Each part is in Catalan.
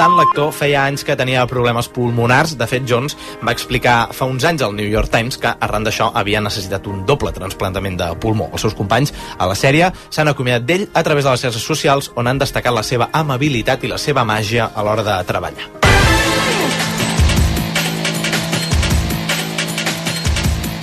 tant, l'actor feia anys que tenia problemes pulmonars. De fet, Jones va explicar fa uns anys al New York Times que arran d'això havia necessitat un doble trasplantament de pulmó. Els seus companys a la sèrie s'han acomiadat d'ell a través de les xarxes socials, on han destacat la seva amabilitat i la seva màgia a l'hora de treballar.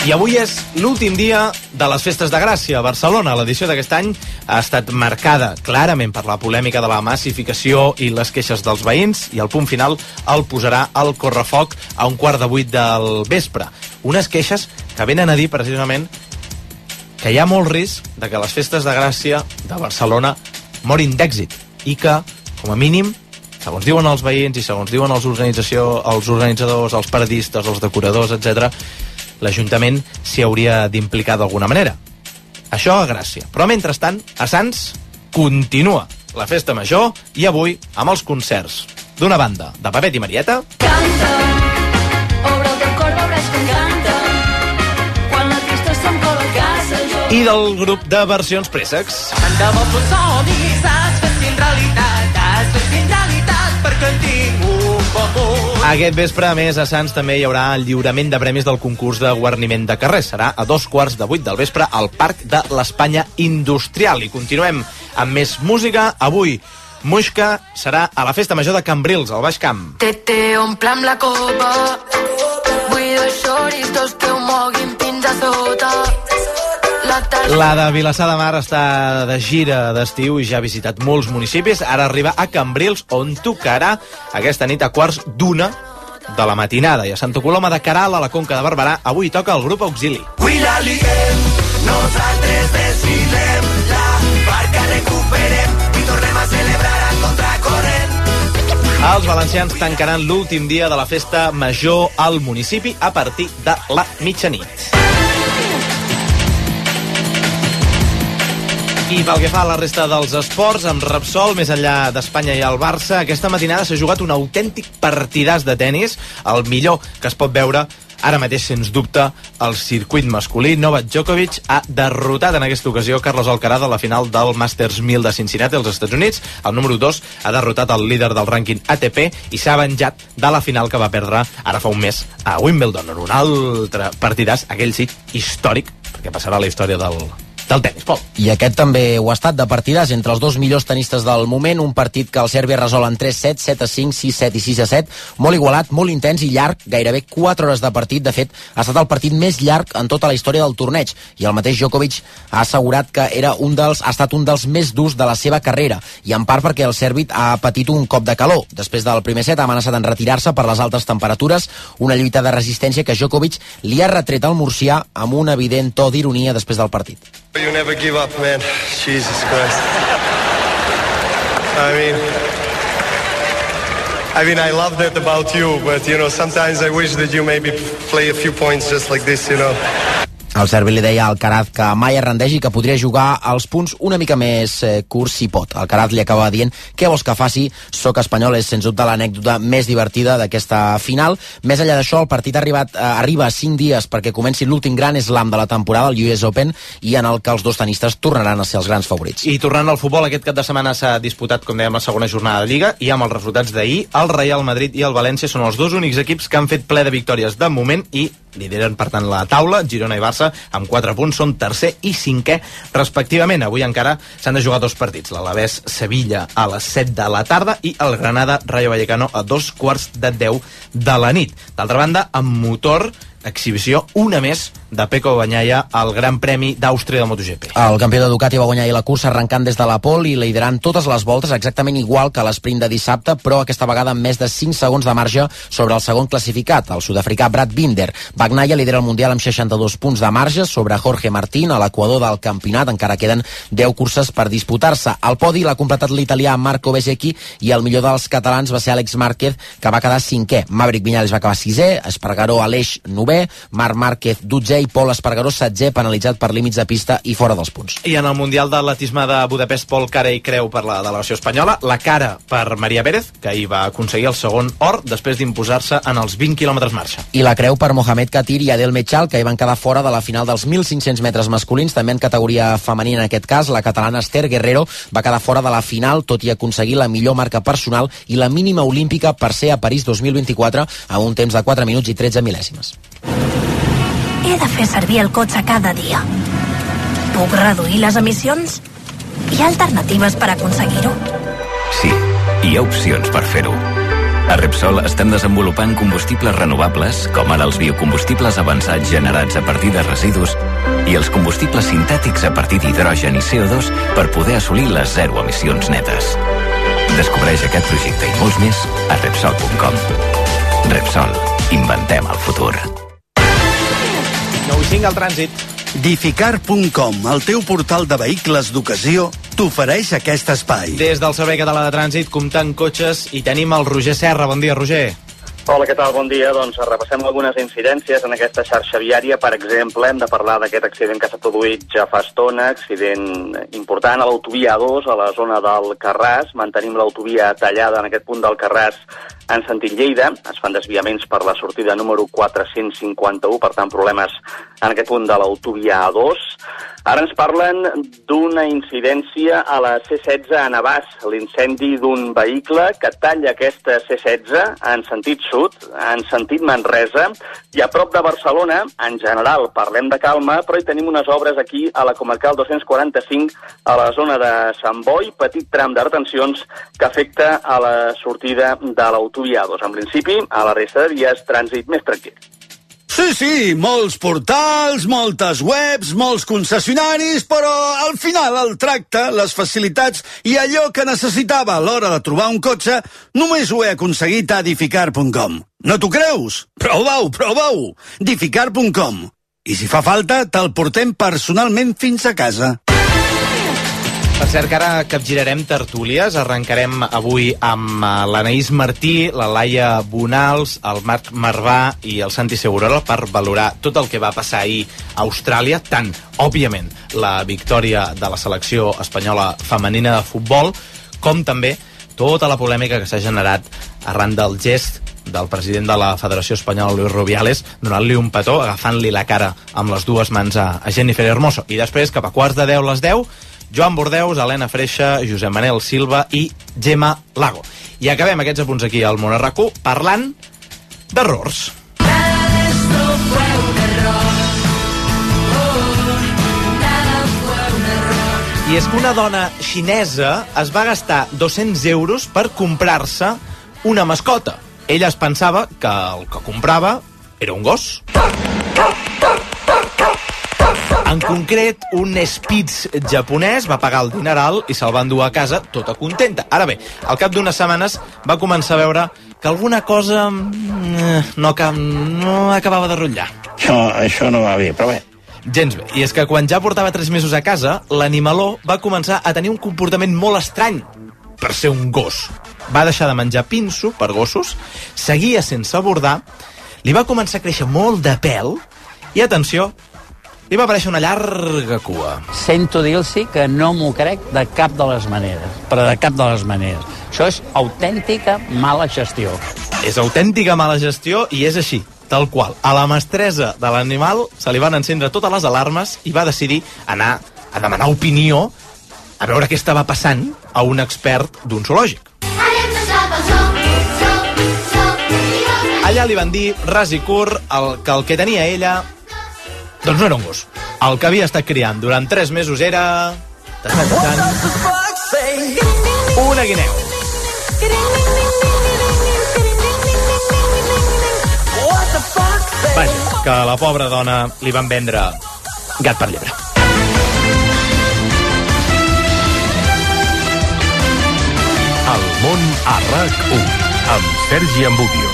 I avui és l'últim dia de les Festes de Gràcia a Barcelona. L'edició d'aquest any ha estat marcada clarament per la polèmica de la massificació i les queixes dels veïns, i el punt final el posarà el correfoc a 7:15 del vespre. Unes queixes que venen a dir precisament que hi ha molt risc de que les Festes de Gràcia de Barcelona morin d'èxit i que, com a mínim, segons diuen els veïns i segons diuen els organitzadors, els paradistes, els decoradors, etc., l'Ajuntament s'hi hauria d'implicar d'alguna manera. Això a Gràcia. Però mentrestant, a Sants continua la festa major, i avui amb els concerts d'una banda de Pepet i Marieta. Canta, obre el teu cor, veuràs com canta, quan la tristesa em cola a casa jo. I del grup de versions préssecs. Tant de bo fos somnis, has fet fin realitat, perquè en tinc un poc. Aquest vespre, a més, a Sants també hi haurà el lliurament de premis del concurs de guarniment de carrer. Serà a 7:15 del vespre al Parc de l'Espanya Industrial. I continuem amb més música. Avui, Muixca serà a la Festa Major de Cambrils, al Baix Camp. Te omple amb la copa, vull dos xoris, dos que ho moguin fins a sota. La de Vilassar de Mar està de gira d'estiu i ja ha visitat molts municipis. Ara arriba a Cambrils, on tocarà aquesta nit a 1:15 de la matinada. I a Santa Coloma de Queralt, a la Conca de Barberà, avui toca el grup Auxili. Avui la liguem, nosaltres desfilem, la barca recuperem i tornem a celebrar a contracorrent. Els valencians tancaran l'últim dia de la Festa Major al municipi a partir de la mitjanit. I pel que fa a la resta dels esports, amb Repsol, més enllà d'Espanya i el Barça, aquesta matinada s'ha jugat un autèntic partidàs de tennis, el millor que es pot veure ara mateix, sens dubte, al circuit masculí. Novak Djokovic ha derrotat en aquesta ocasió Carlos Alcaraz a la final del Masters 1000 de Cincinnati, als Estats Units. El número 2 ha derrotat el líder del rànquing ATP i s'ha venjat de la final que va perdre ara fa un mes a Wimbledon, en un altre partidàs, aquell sí, històric, perquè passarà a la història del tennis, Pol. I aquest també ho ha estat, de partidàs entre els dos millors tenistes del moment, un partit que el Sèrbia resol en 3-7, 7-5, 6-7 i 6-7, molt igualat, molt intens i llarg, gairebé 4 hores de partit. De fet, ha estat el partit més llarg en tota la història del torneig, i el mateix Djokovic ha assegurat que ha estat un dels més durs de la seva carrera, i en part perquè el sèrbit ha patit un cop de calor. Després del primer set ha amenaçat en retirar-se per les altes temperatures, una lluita de resistència que Djokovic li ha retret al murcià amb un evident to d'ironia després del partit. You never give up, man. Jesus Christ. I mean, I love that about you, but, sometimes I wish that you maybe play a few points just like this, El serbi li deia a Alcaraz que mai es rendeix i que podria jugar als punts una mica més curts si pot. Alcaraz li acaba dient: què vols que faci? Soc espanyol. És sens dubte l'anècdota més divertida d'aquesta final. Més enllà d'això, el partit arriba a 5 dies perquè comenci l'últim gran slam de la temporada, el US Open, i en el que els dos tenistes tornaran a ser els grans favorits. I tornant al futbol, aquest cap de setmana s'ha disputat, com dèiem, la segona jornada de Lliga, i amb els resultats d'ahir, el Real Madrid i el València són els dos únics equips que han fet ple de victòries de moment i lideren, per tant, la taula. Girona i Barça, amb 4 punts, són tercer i cinquè, respectivament. Avui encara s'han de jugar 2 partits. L'Alavés-Sevilla a les 7 de la tarda i el Granada-Rayo Vallecano a 9:45 de la nit. D'altra banda, amb motor, exhibició una més de Pecco Bagnaia al Gran Premi d'Àustria de MotoGP. El campió de Ducati va guanyar la cursa arrencant des de la pole i liderant totes les voltes, exactament igual que l'esprint de dissabte, però aquesta vegada amb més de 5 segons de marge sobre el segon classificat, el sud-africà Brad Binder. Bagnaia lidera el Mundial amb 62 punts de marge sobre Jorge Martín, a l'equador del campionat. Encara queden 10 curses per disputar-se. Al podi l'ha completat l'italià Marco Bezzecchi i el millor dels catalans va ser Àlex Márquez, que va quedar 5è. Maverick Viñales va acabar 6è, Espargaró Aleix 9è, 11è, Marc Márquez 12è i Pol Espargaró 7è, penalitzat per límits de pista i fora dels punts. I en el Mundial d'Atletisme de Budapest, Pol cara i creu per la delegació espanyola, la cara per Maria Pérez, que hi va aconseguir el segon or després d'imposar-se en els 20 quilòmetres marxa. I la creu per Mohamed Katir i Adel Mechal, que hi van quedar fora de la final dels 1.500 metres masculins. També en categoria femenina, en aquest cas, la catalana Esther Guerrero va quedar fora de la final, tot i aconseguir la millor marca personal i la mínima olímpica per ser a París 2024 amb un temps de 4 minuts i 13 mil·lèsimes. He de fer servir el cotxe cada dia. Puc reduir les emissions? Hi ha alternatives per aconseguir-ho? Sí, hi ha opcions per fer-ho. A Repsol estem desenvolupant combustibles renovables, com ara els biocombustibles avançats generats a partir de residus i els combustibles sintètics a partir d'hidrogen i CO2 per poder assolir les zero emissions netes. Descobreix aquest projecte i molts més a Repsol.com. Repsol. Inventem el futur. 9:05 al trànsit. Dificar.com, el teu portal de vehicles d'ocasió, t'ofereix aquest espai. Des del Servei Català de Trànsit, comptant cotxes, i tenim el Roger Serra. Bon dia, Roger. Hola, què tal? Bon dia. Doncs repassem algunes incidències en aquesta xarxa viària. Per exemple, hem de parlar d'aquest accident que s'ha produït ja fa estona, accident important a l'autovia A2, a la zona del Carràs. Mantenim l'autovia tallada en aquest punt del Carràs en sentit Lleida. Es fan desviaments per la sortida número 451, per tant, problemes en aquest punt de l'autovia A2. Ara ens parlen d'una incidència a la C16 a Navàs, l'incendi d'un vehicle que talla aquesta C16 en sentit sud, en sentit Manresa, i a prop de Barcelona, en general, parlem de calma, però hi tenim unes obres aquí a la comarcal 245, a la zona de Sant Boi, petit tram de retencions que afecta a la sortida de l'autovia A2. En principi, a la resta de vies, trànsit més tranquil. Sí, molts portals, moltes webs, molts concessionaris, però al final el tracte, les facilitats i allò que necessitava a l'hora de trobar un cotxe només ho he aconseguit a Dificar.com. No t'ho creus? Prova-ho! Dificar.com. I si fa falta, te'l portem personalment fins a casa. Per cert, que ara capgirarem tertúlies. Arrencarem avui amb l'Anaïs Martí, la Laia Bonals, el Marc Marvà i el Santi Segurola per valorar tot el que va passar ahir a Austràlia, tant, òbviament, la victòria de la selecció espanyola femenina de futbol, com també tota la polèmica que s'ha generat arran del gest del president de la Federació Espanyola, Luis Rubiales, donant-li un petó, agafant-li la cara amb les dues mans a Jennifer Hermoso. I després, cap a 9:15, les 10, Joan Bordeus, Helena Freixa, Josep Manel Silva i Gemma Lago. I acabem aquests apunts aquí al Món a RAC1 parlant d'errors. I és que una dona xinesa es va gastar 200 euros per comprar-se una mascota. Ella es pensava que el que comprava era un gos. En concret, un Spitz japonès va pagar el dineral i se'l va endur a casa tota contenta. Ara bé, al cap d'unes setmanes va començar a veure que alguna cosa no acabava de rotllar. Això no va bé, però bé. Gens bé. I és que quan ja portava 3 mesos a casa, l'animaló va començar a tenir un comportament molt estrany per ser un gos. Va deixar de menjar pinso per gossos, seguia sense abordar, li va començar a créixer molt de pèl i, atenció, li va aparèixer una llarga cua. Sento dir-los que no m'ho crec de cap de les maneres, però de cap de les maneres. Això és autèntica mala gestió. És autèntica mala gestió i és així, tal qual. A la mestressa de l'animal se li van encendre totes les alarmes i va decidir anar a demanar opinió a veure què estava passant a un expert d'un zoològic. Allà li van dir, ras i curt, que el que tenia ella doncs no era un gos. El que havia estat criant durant 3 mesos era... una guineu. Vaja, que a la pobra dona li van vendre gat per llebre. El món a RAC1 amb Sergi Ambudio.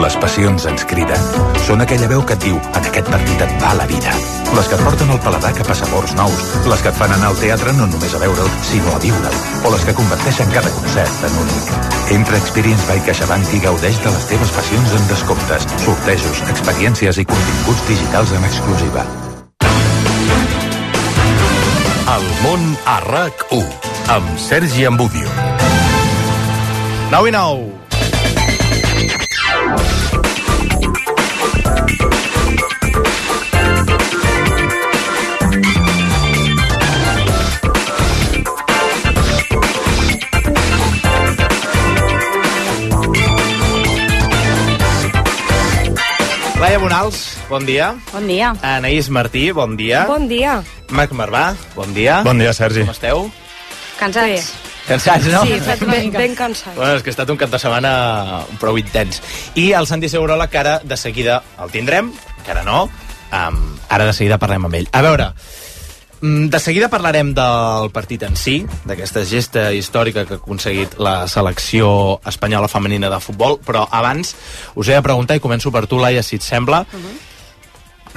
Les passions ens criden. Són aquella veu que et diu en aquest partit et va la vida. Les que et porten el paladar cap a sabors nous. Les que et fan anar al teatre no només a veure'l, sinó a viure'l. O les que converteixen cada concert en únic. Entra a Experience by CaixaBank i gaudeix de les teves passions en descomptes, sortejos, experiències i continguts digitals en exclusiva. El món a RAC1 amb Sergi Ambudio. 9-9. Laia Bonals, bon dia. Bon dia. Anaïs Martí, bon dia. Bon dia. Marc Marvà, bon dia. Bon dia, Sergi. Com esteu? Cansats. Cansats, no? Sí, ben cansats. Bueno, és que ha estat un cap de setmana prou intens. I el Santi Segurola, que ara de seguida el tindrem, que ara no, ara de seguida parlem amb ell. A veure, de seguida parlarem del partit en si, d'aquesta gesta històrica que ha aconseguit la selecció espanyola femenina de futbol, però abans us he de preguntar, i començo per tu, Laia, si et sembla,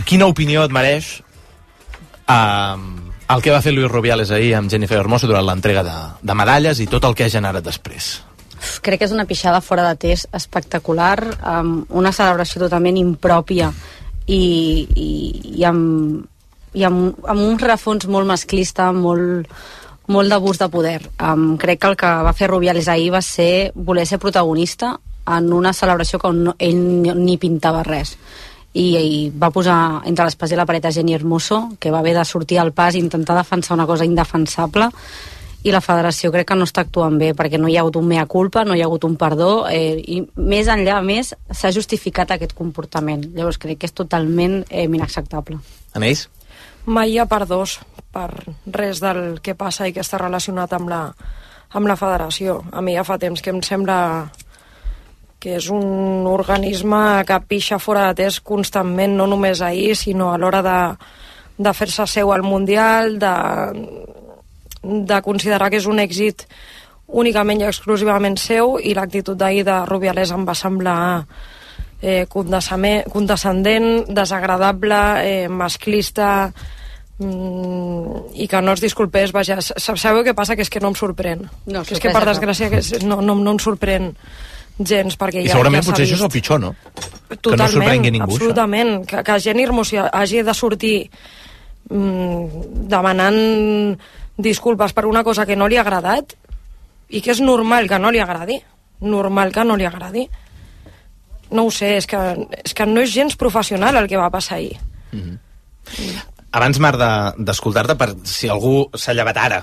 quina opinió et mereix el que va fer Luis Rubiales ahir amb Jennifer Hermoso durant l'entrega de medalles i tot el que ha generat després? Crec que és una pixada fora de test espectacular, una celebració totalment impròpia i amb un rerefons molt masclista, molt d'abús de poder. Crec que el que va fer Rubiales ahir va ser voler ser protagonista en una celebració que ell ni pintava res. I va posar entre l'espàs i la paret a Jenny Hermoso, que va haver de sortir al pas i intentar defensar una cosa indefensable, i la federació crec que no està actuant bé, perquè no hi ha hagut un mea culpa, no hi ha hagut un perdó, i més enllà, més, s'ha justificat aquest comportament. Llavors crec que és totalment inacceptable. Anaïs? Mai hi ha perdós per res del que passa i que està relacionat amb la federació. A mi ja fa temps que em sembla que és un organisme que pixa fora de test constantment, no només ahir, sinó a l'hora de fer-se seu al Mundial, de considerar que és un èxit únicament i exclusivament seu, i l'actitud d'ahir de Rubiales em va semblar condescendent, desagradable, masclista, i que no es disculpés. Vaja, sabeu què passa? Que és que no em sorprèn. No, que és que per desgràcia no em sorprèn gens, perquè i segurament potser això és el pitjor, no? Totalment, que no sorprengui ningú, absolutament. Que Jenny Hermoso hagi de sortir demanant disculpes per una cosa que no li ha agradat, i que és normal que no li agradi, no ho sé, és que no és gens professional el que va passar ahir. Abans, Marc, d'escoltar-te, per si algú s'ha llevat ara,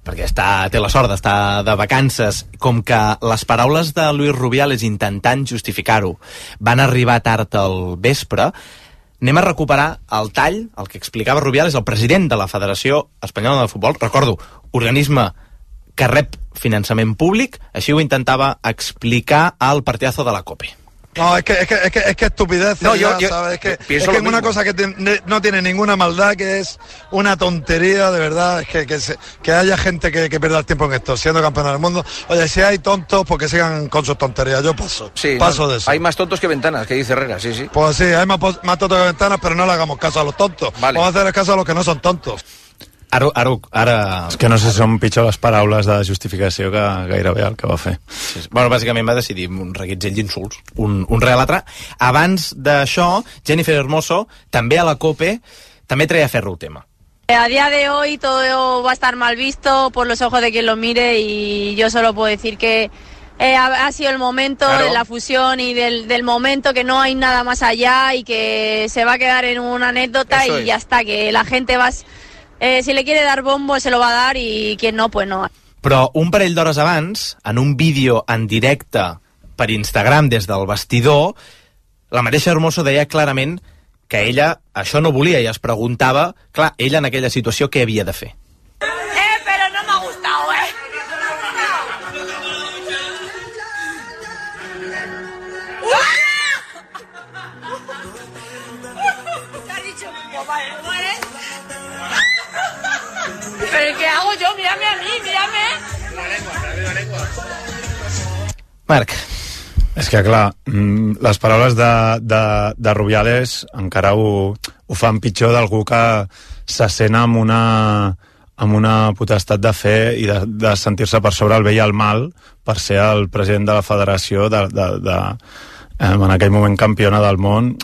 perquè té la sort d'estar de vacances, com que les paraules de Luis Rubiales intentant justificar-ho van arribar tard al vespre, anem a recuperar el tall, el que explicava Rubiales, el president de la Federació Espanyola de Futbol, recordo, organisme que rep finançament públic, així ho intentava explicar al partidazo de la COPE. No, es que estupidez, no, ¿sabes? Es que una cosa que no tiene ninguna maldad, que es una tontería, de verdad, es que haya gente que pierda el tiempo en esto, siendo campeón del mundo. Oye, si hay tontos, pues que sigan con sus tonterías, yo paso de eso. Hay más tontos que ventanas, que dice Herrera, sí. Pues sí, hay más tontos que ventanas, pero no le hagamos caso a los tontos. Vale. Vamos a hacer caso a los que no son tontos. Ara... És que no sé si són pitjor les paraules de justificació que gairebé el que va fer. Sí. Bueno, bàsicament va decidir un reguitzell d'insults, un rere l'altre. Abans d'això, Jennifer Hermoso, també a la COPE, també treia a ferro el tema. A día de hoy todo va a estar mal visto por los ojos de quien lo mire, y yo solo puedo decir que ha sido el momento de la fusión y del momento, que no hay nada más allá y que se va a quedar en una anécdota. Eso y ya está, que la gente va... si le quiere dar bombo se lo va a dar, i quien no, pues no. Però un parell d'hores abans, en un vídeo en directe per Instagram des del vestidor, la mateixa Hermoso deia clarament que ella això no volia i es preguntava, clar, ella en aquella situació què havia de fer. Pero no me ha gustado, ¿Qué has dicho? ¿Pero qué hago yo? Mírame a mí, mírame. La lengua. Marc. És que, clar, les paraules de Rubiales encara ho fan pitjor d'algú que se sent amb amb una potestat de fer i de sentir-se per sobre el bé i el mal per ser el president de la federació en aquell moment campiona del món,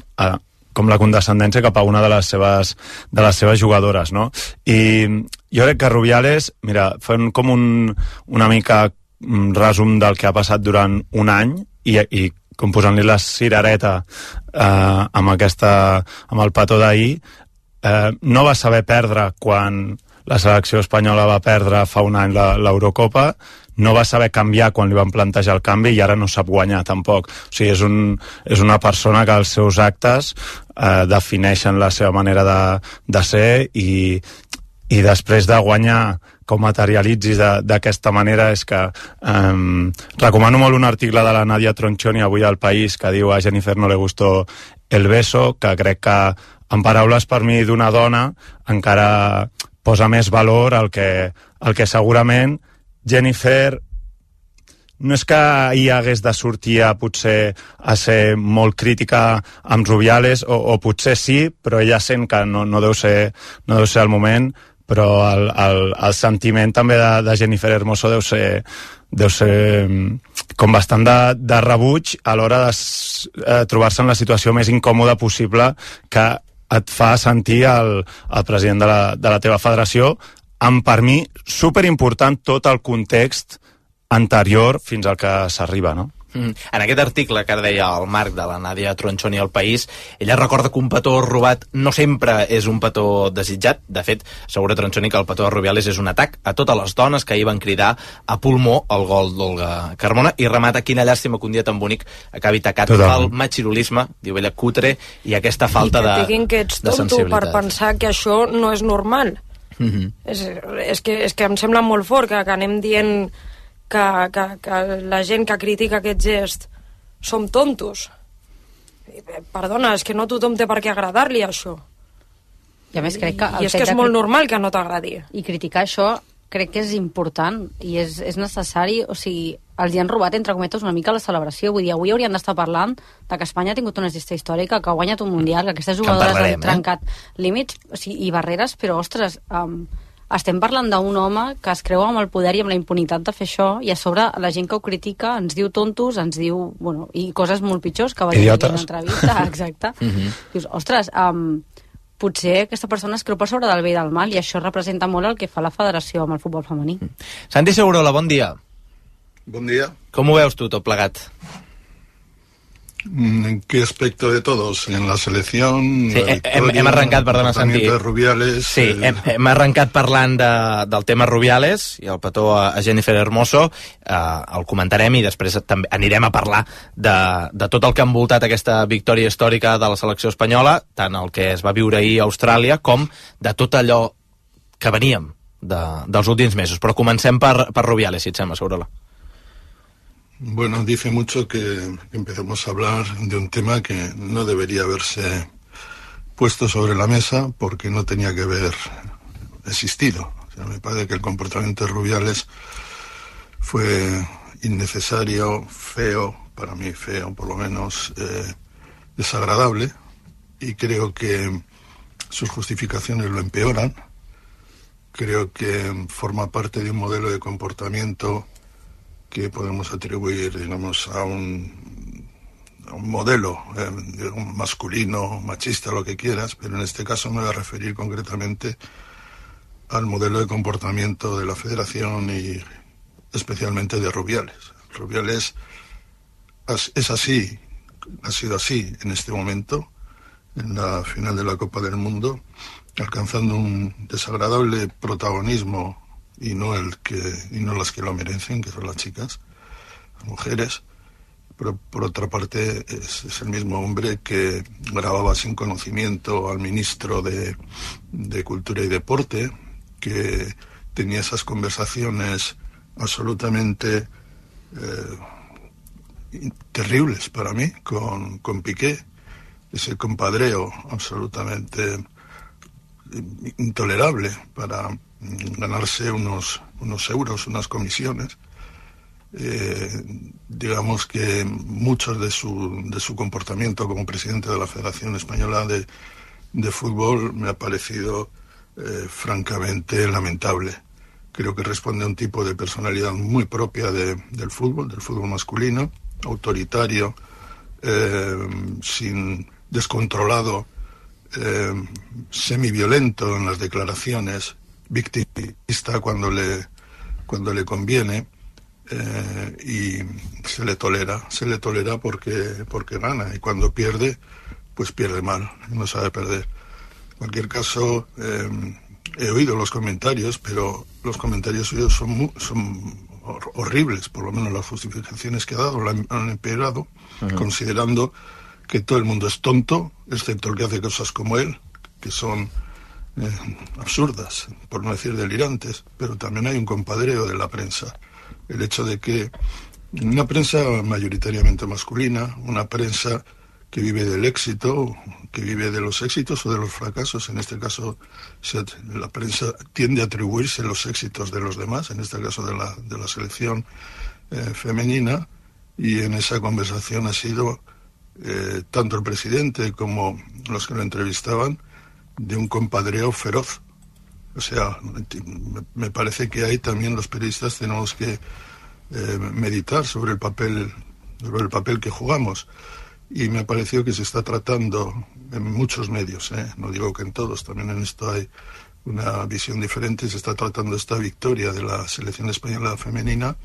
com la condescendència cap a una de les seves jugadores, no? I jo crec que Rubiales, mira, fent com una mica resum del que ha passat durant un any i com posant-li la cirereta amb el petó d'ahir, no va saber perdre quan la selecció espanyola va perdre fa un any l'Eurocopa, no va saber canviar quan li van plantejar el canvi i ara no sap guanyar tampoc. O sigui, és una persona que els seus actes defineixen la seva manera de ser i després de guanyar com materialitzis d'aquesta manera és que recomano molt un article de la Nadia Tronchoni avui al País que diu a Jennifer no le gustó el beso, que crec que en paraules per mi d'una dona encara posa més valor al que segurament Jennifer no és que hi hagués de sortir potser a ser molt crítica amb Rubiales, o potser sí, però ella sent que no deu ser el moment, però el sentiment també de Jennifer Hermoso deu ser com bastant de rebuig a l'hora de trobar-se en la situació més incòmoda possible que et fa sentir el president de la teva federació, amb, per mi, superimportant tot el context anterior fins al que s'arriba, no? En aquest article que ara deia el Marc de la Nadia Tronchoni al País, ella recorda que un petó robat no sempre és un petó desitjat. De fet, assegura Tronchoni que el petó de Rubiales és un atac a totes les dones que ahir van cridar a pulmó el gol d'Olga Carmona, i remata: quina llàstima que un dia tan bonic acabi tacat pel machirulisme, diu ella, cutre, i aquesta falta de sensibilitat. I que diguin que ets tonto per pensar que això no és normal. És que em sembla molt fort que anem dient que la gent que critica aquest gest som tontos. Perdona, és que no tothom té per què agradar-li això. I a més crec que... I és que és molt normal que no t'agradi. I criticar això crec que és important i és necessari. O sigui, els hi han robat, entre cometes, una mica la celebració. Vull dir, avui haurien d'estar parlant de que Espanya ha tingut una gesta històrica, que ha guanyat un mundial, que aquestes jugadores han trencat límits i barreres, però, ostres, estem parlant d'un home que es creu amb el poder i amb la impunitat de fer això, i a sobre la gent que ho critica ens diu tontos, ens diu, bueno, i coses molt pitjors que va dir en una entrevista, exacte. Dius, ostres, potser aquesta persona es creu per sobre del bé i del mal, i això representa molt el que fa la federació amb el futbol femení. Santi Segurola, bon dia. Bon dia. Com ho veus tu, tot plegat? ¿En qué aspecto de todos? ¿En la selección? Sí, hem arrencat, perdona, Santi. De Rubiales. Sí, hem arrencat parlant del tema Rubiales i el petó a Jennifer Hermoso. El comentarem i després també anirem a parlar de tot el que ha envoltat aquesta victòria històrica de la selecció espanyola, tant el que es va viure ahir a Austràlia com de tot allò que veníem dels últims mesos. Però comencem per Rubiales, si et sembla, Segurola. Bueno, dice mucho que empecemos a hablar de un tema que no debería haberse puesto sobre la mesa porque no tenía que haber existido. O sea, me parece que el comportamiento de Rubiales fue innecesario, feo, para mí feo, por lo menos desagradable, y creo que sus justificaciones lo empeoran. Creo que forma parte de un modelo de comportamiento que podemos atribuir, digamos, a un modelo masculino, machista, lo que quieras, pero en este caso me voy a referir concretamente al modelo de comportamiento de la Federación y especialmente de Rubiales. Rubiales es así, ha sido así en este momento, en la final de la Copa del Mundo, alcanzando un desagradable protagonismo y no las que lo merecen, que son las chicas, las mujeres. Pero por otra parte es el mismo hombre que grababa sin conocimiento al ministro de Cultura y Deporte, que tenía esas conversaciones absolutamente terribles para mí con Piqué, ese compadreo absolutamente intolerable para ganarse unos euros, unas comisiones. Digamos que muchos de su comportamiento como presidente de la Federación Española de Fútbol me ha parecido francamente lamentable. Creo que responde a un tipo de personalidad muy propia del fútbol masculino, autoritario, descontrolado, semiviolento en las declaraciones, victimista cuando le conviene, y se le tolera porque gana, y cuando pierde, pues pierde mal, no sabe perder. En cualquier caso, he oído los comentarios, pero los comentarios suyos son horribles, por lo menos las justificaciones que ha dado lo han empeorado, considerando que todo el mundo es tonto, excepto el que hace cosas como él, que son absurdas, por no decir delirantes, pero también hay un compadreo de la prensa. El hecho de que una prensa mayoritariamente masculina, una prensa que vive del éxito, que vive de los éxitos o de los fracasos, en este caso la prensa tiende a atribuirse los éxitos de los demás, en este caso de la selección femenina, y en esa conversación ha sido tanto el presidente como los que lo entrevistaban de un compadreo feroz. O sea, me parece que ahí también los periodistas tenemos que meditar sobre el papel que jugamos. Y me ha parecido que se está tratando en muchos medios, no digo que en todos, también en esto hay una visión diferente, se está tratando esta victoria de la selección española femenina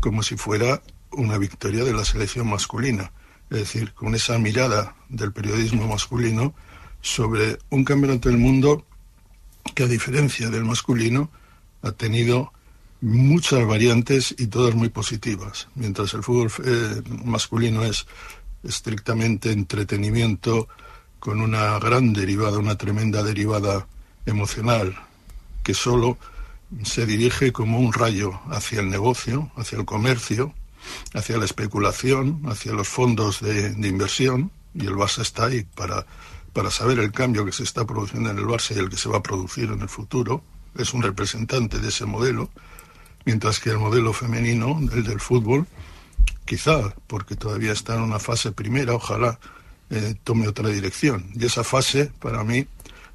como si fuera una victoria de la selección masculina. Es decir, con esa mirada del periodismo masculino sobre un campeonato del mundo que, a diferencia del masculino, ha tenido muchas variantes y todas muy positivas. Mientras el fútbol masculino es estrictamente entretenimiento con una gran derivada, una tremenda derivada emocional que solo se dirige como un rayo hacia el negocio, hacia el comercio, hacia la especulación, hacia los fondos de inversión, y el Barça está ahí para saber el cambio que se está produciendo en el Barça y el que se va a producir en el futuro. Es un representante de ese modelo, mientras que el modelo femenino, el del fútbol, quizá porque todavía está en una fase primera, ojalá tome otra dirección. Y esa fase, para mí,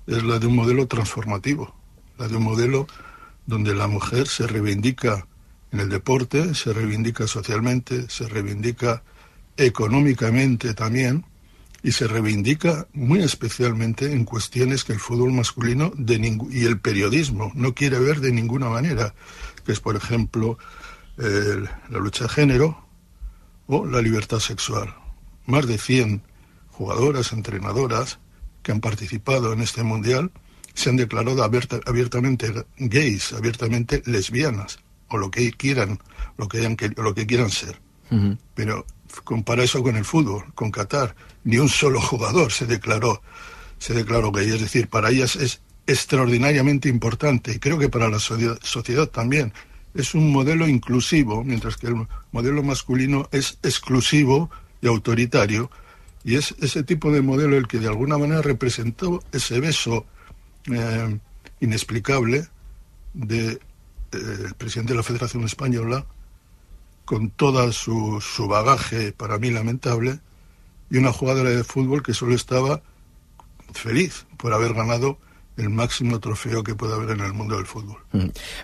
es la de un modelo transformativo, la de un modelo donde la mujer se reivindica en el deporte, se reivindica socialmente, se reivindica económicamente también, y se reivindica muy especialmente en cuestiones que el fútbol masculino y el periodismo no quiere ver de ninguna manera, que es, por ejemplo, la lucha de género o la libertad sexual. Más de 100 jugadoras, entrenadoras que han participado en este mundial se han declarado abiertamente gays, abiertamente lesbianas, o lo que quieran, lo que quieran ser. Pero compara eso con el fútbol, con Qatar. Ni un solo jugador se declaró gay. Es decir, para ellas es extraordinariamente importante, y creo que para la sociedad también. Es un modelo inclusivo, mientras que el modelo masculino es exclusivo y autoritario, y es ese tipo de modelo el que de alguna manera representó ese beso inexplicable del presidente de la Federación Española, con todo su bagaje, para mí lamentable, y una jugadora de fútbol que solo estaba feliz por haber ganado el máximo trofeo que puede haver en el mundo del fútbol.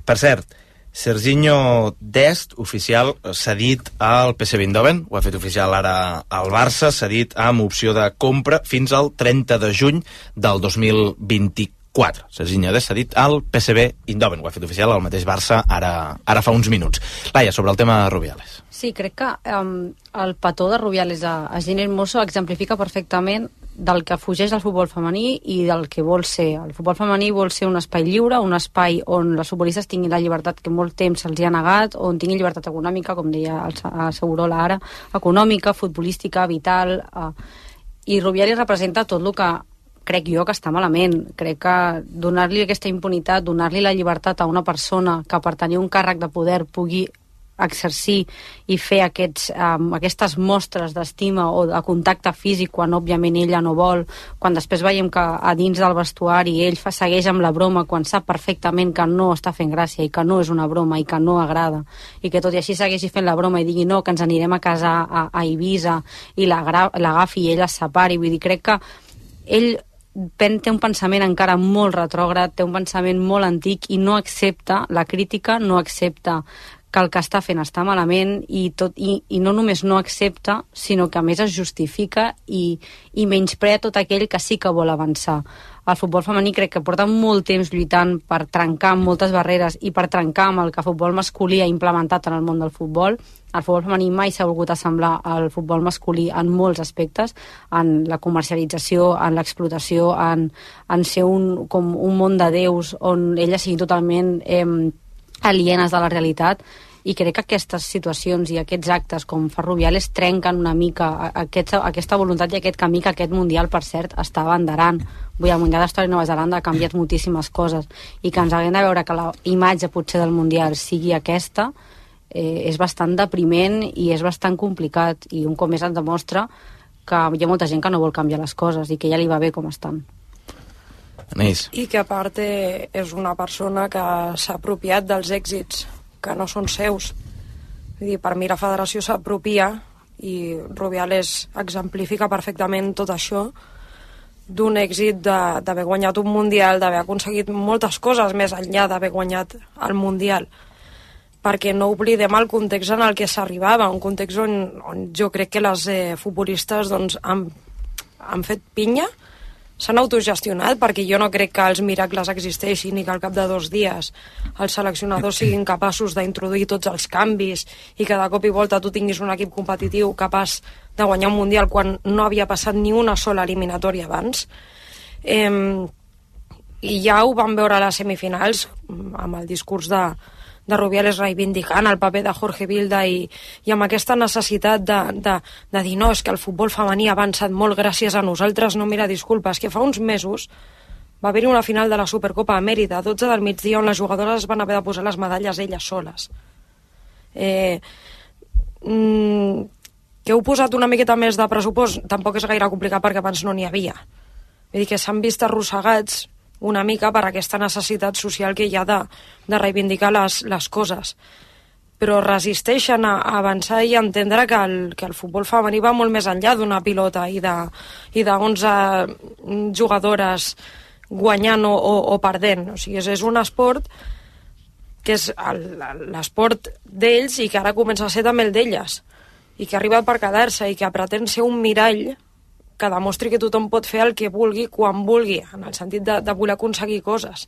Per cert, Serginho Dest, oficial, cedit al PSV Eindhoven, ho ha fet oficial ara al Barça, cedit amb opció de compra fins al 30 de juny del 2024. Serginho Dest cedit al PSV Eindhoven, ho ha fet oficial al mateix Barça ara fa uns minuts. Laia, sobre el tema de Rubiales. Sí, crec que el petó de Rubiales a Gini Hermoso exemplifica perfectament del que fugeix el futbol femení i del que vol ser. El futbol femení vol ser un espai lliure, un espai on les futbolistes tinguin la llibertat que molt temps se'ls hi ha negat, on tinguin llibertat econòmica, com deia el Segurola ara, econòmica, futbolística, vital, i Rubiales representa tot el que crec jo que està malament. Crec que donar-li aquesta impunitat, donar-li la llibertat a una persona que per tenir un càrrec de poder pugui exercir i fer aquestes mostres d'estima o de contacte físic quan òbviament ella no vol, quan després veiem que a dins del vestuari ell segueix amb la broma quan sap perfectament que no està fent gràcia i que no és una broma i que no agrada, i que tot i així segueixi fent la broma i digui no, que ens anirem a casar a Eivissa, i l'agafi i ella es separi. Vull dir, crec que ell té un pensament encara molt retrògrad, té un pensament molt antic i no accepta la crítica, no accepta que el que està fent està malament i no només no accepta, sinó que a més es justifica i menysprea tot aquell que sí que vol avançar. El futbol femení crec que porta molt temps lluitant per trencar moltes barreres i per trencar amb el que el futbol masculí ha implementat en el món del futbol. El futbol femení mai s'ha volgut assemblar al futbol masculí en molts aspectes, en la comercialització, en l'explotació, en ser com un món de déus on elles siguin totalment alienes de la realitat, i crec que aquestes situacions i aquests actes com Ferroviales trenquen una mica aquesta voluntat i aquest camí que aquest Mundial, per cert, està abanderant. Vull dir, el Mundial d'Història de Nova Zelanda ha canviat moltíssimes coses i que ens haguem de veure que la imatge potser del Mundial sigui aquesta és bastant depriment i és bastant complicat, i un cop més ens demostra que hi ha molta gent que no vol canviar les coses i que ja li va bé com estan. I que a part és una persona que s'ha apropiat dels èxits que no són seus. Vull dir, per mi la federació s'apropia, i Rubiales exemplifica perfectament tot això, d'un èxit d'haver guanyat un Mundial, d'haver aconseguit moltes coses més enllà d'haver guanyat el Mundial, perquè no oblidem el context en el que s'arribava, un context on jo crec que les futbolistes doncs, han fet pinya, s'han autogestionat, perquè jo no crec que els miracles existeixin i que al cap de 2 dies els seleccionadors siguin capaços d'introduir tots els canvis i que de cop i volta tu tinguis un equip competitiu capaç de guanyar un Mundial quan no havia passat ni una sola eliminatòria abans. I ja ho vam veure a les semifinals amb el discurs de Rubiales reivindicant el paper de Jorge Vilda i amb aquesta necessitat de dir no, és que el futbol femení ha avançat molt gràcies a nosaltres. No, mira, disculpa, és que fa uns mesos va haver-hi una final de la Supercopa a Mèrida, a 12 del migdia, on les jugadores van haver de posar les medalles elles soles. Que heu posat una miqueta més de pressupost tampoc és gaire complicat, perquè abans no n'hi havia. Vull dir que s'han vist arrossegats una mica per aquesta necessitat social que hi ha de reivindicar les coses. Però resisteixen a avançar i a entendre que el futbol femení va molt més enllà d'una pilota i de 11 jugadores guanyant o perdent. O sigui, és un esport que és l'esport d'ells i que ara comença a ser també el d'elles, i que arriba per quedar-se i que pretén ser un mirall que demostri que tothom pot fer el que vulgui quan vulgui, en el sentit de voler aconseguir coses.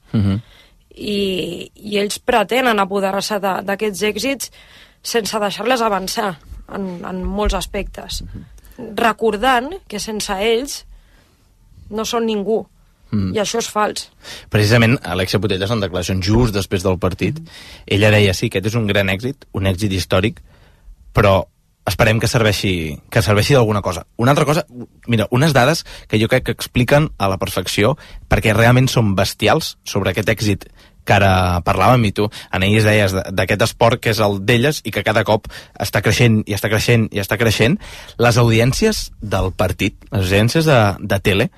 I ells pretenen apoderar-se d'aquests èxits sense deixar-les avançar en molts aspectes, recordant que sense ells no són ningú. I això és fals. Precisament, Alexia Putellas, en declaracions just després del partit, ella deia, sí, aquest és un gran èxit, un èxit històric, però esperem que serveixi d'alguna cosa. Una altra cosa, mira, unes dades que jo crec que expliquen a la perfecció, perquè realment són bestials, sobre aquest èxit que ara parlàvem, i tu, Anaïs, deies d'aquest esport que és el d'elles i que cada cop està creixent i està creixent i està creixent. Les audiències del partit, les audiències de tele,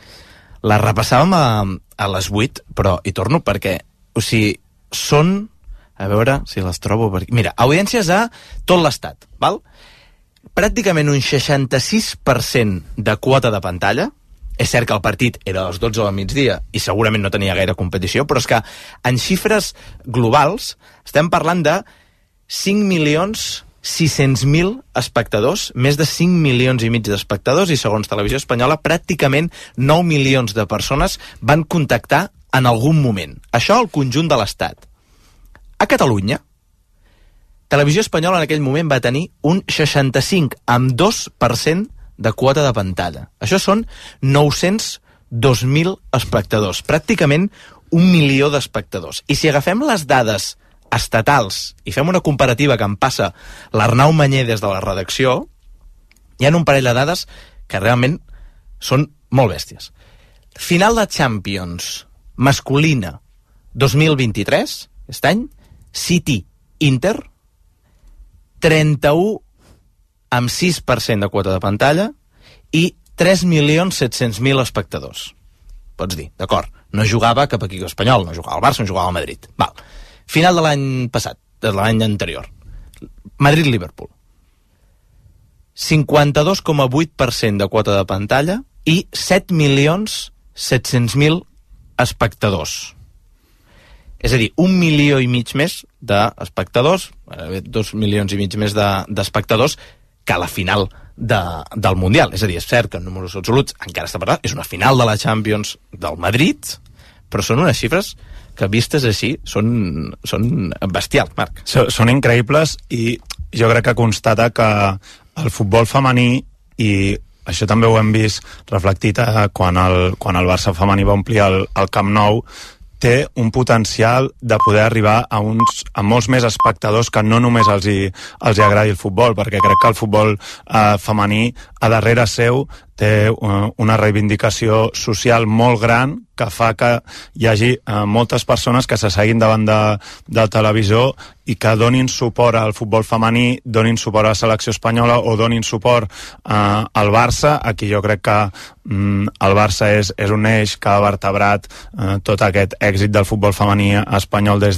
les repassàvem a les 8, però hi torno perquè, o sigui, són, a veure si les trobo per aquí. Mira, audiències a tot l'estat, val? Pràcticament un 66% de quota de pantalla. És cert que el partit era a les 12 del migdia i segurament no tenia gaire competició, però és que en xifres globals estem parlant de 5.600.000 espectadors, més de 5 milions i mig d'espectadors, i segons Televisió Espanyola pràcticament 9 milions de persones van contactar en algun moment. Això al conjunt de l'Estat. A Catalunya, Televisió Espanyola en aquell moment va tenir un 65,2% de quota de pantalla. Això són 902.000 espectadors, pràcticament 1 milió d'espectadors. I si agafem les dades estatals i fem una comparativa que em passa l'Arnau Mañé des de la redacció, hi ha un parell de dades que realment són molt bèsties. Final de Champions masculina 2023, aquest any, City-Inter, 31,6% de quota de pantalla i 3.700.000 espectadors. Pots dir, d'acord, no jugava cap equip espanyol, no jugava al Barça, no jugava al Madrid. Val. Final de l'any passat, de l'any anterior. Madrid-Liverpool. 52,8% de quota de pantalla i 7.600.000 700.000 espectadors. És a dir, 1,5 milions més d'espectadors, 2,5 milions més d'espectadors que a la final del Mundial. És a dir, és cert que en números absoluts encara està parlant, és una final de la Champions del Madrid, però són unes xifres que vistes així són bestials, Marc. Són increïbles i jo crec que constata que el futbol femení, i això també ho hem vist reflectit quan el Barça femení va omplir el Camp Nou, té un potencial de poder arribar a molts més espectadors que no només els agradi el futbol, perquè crec que el futbol femení a darrere seu té una reivindicació social molt gran que fa que hi hagi moltes persones que s'asseguin davant del televisor i que donin suport al futbol femení, donin suport a la selecció espanyola o donin suport al Barça. Aquí jo crec que el Barça és un eix que ha vertebrat tot aquest èxit del futbol femení espanyol des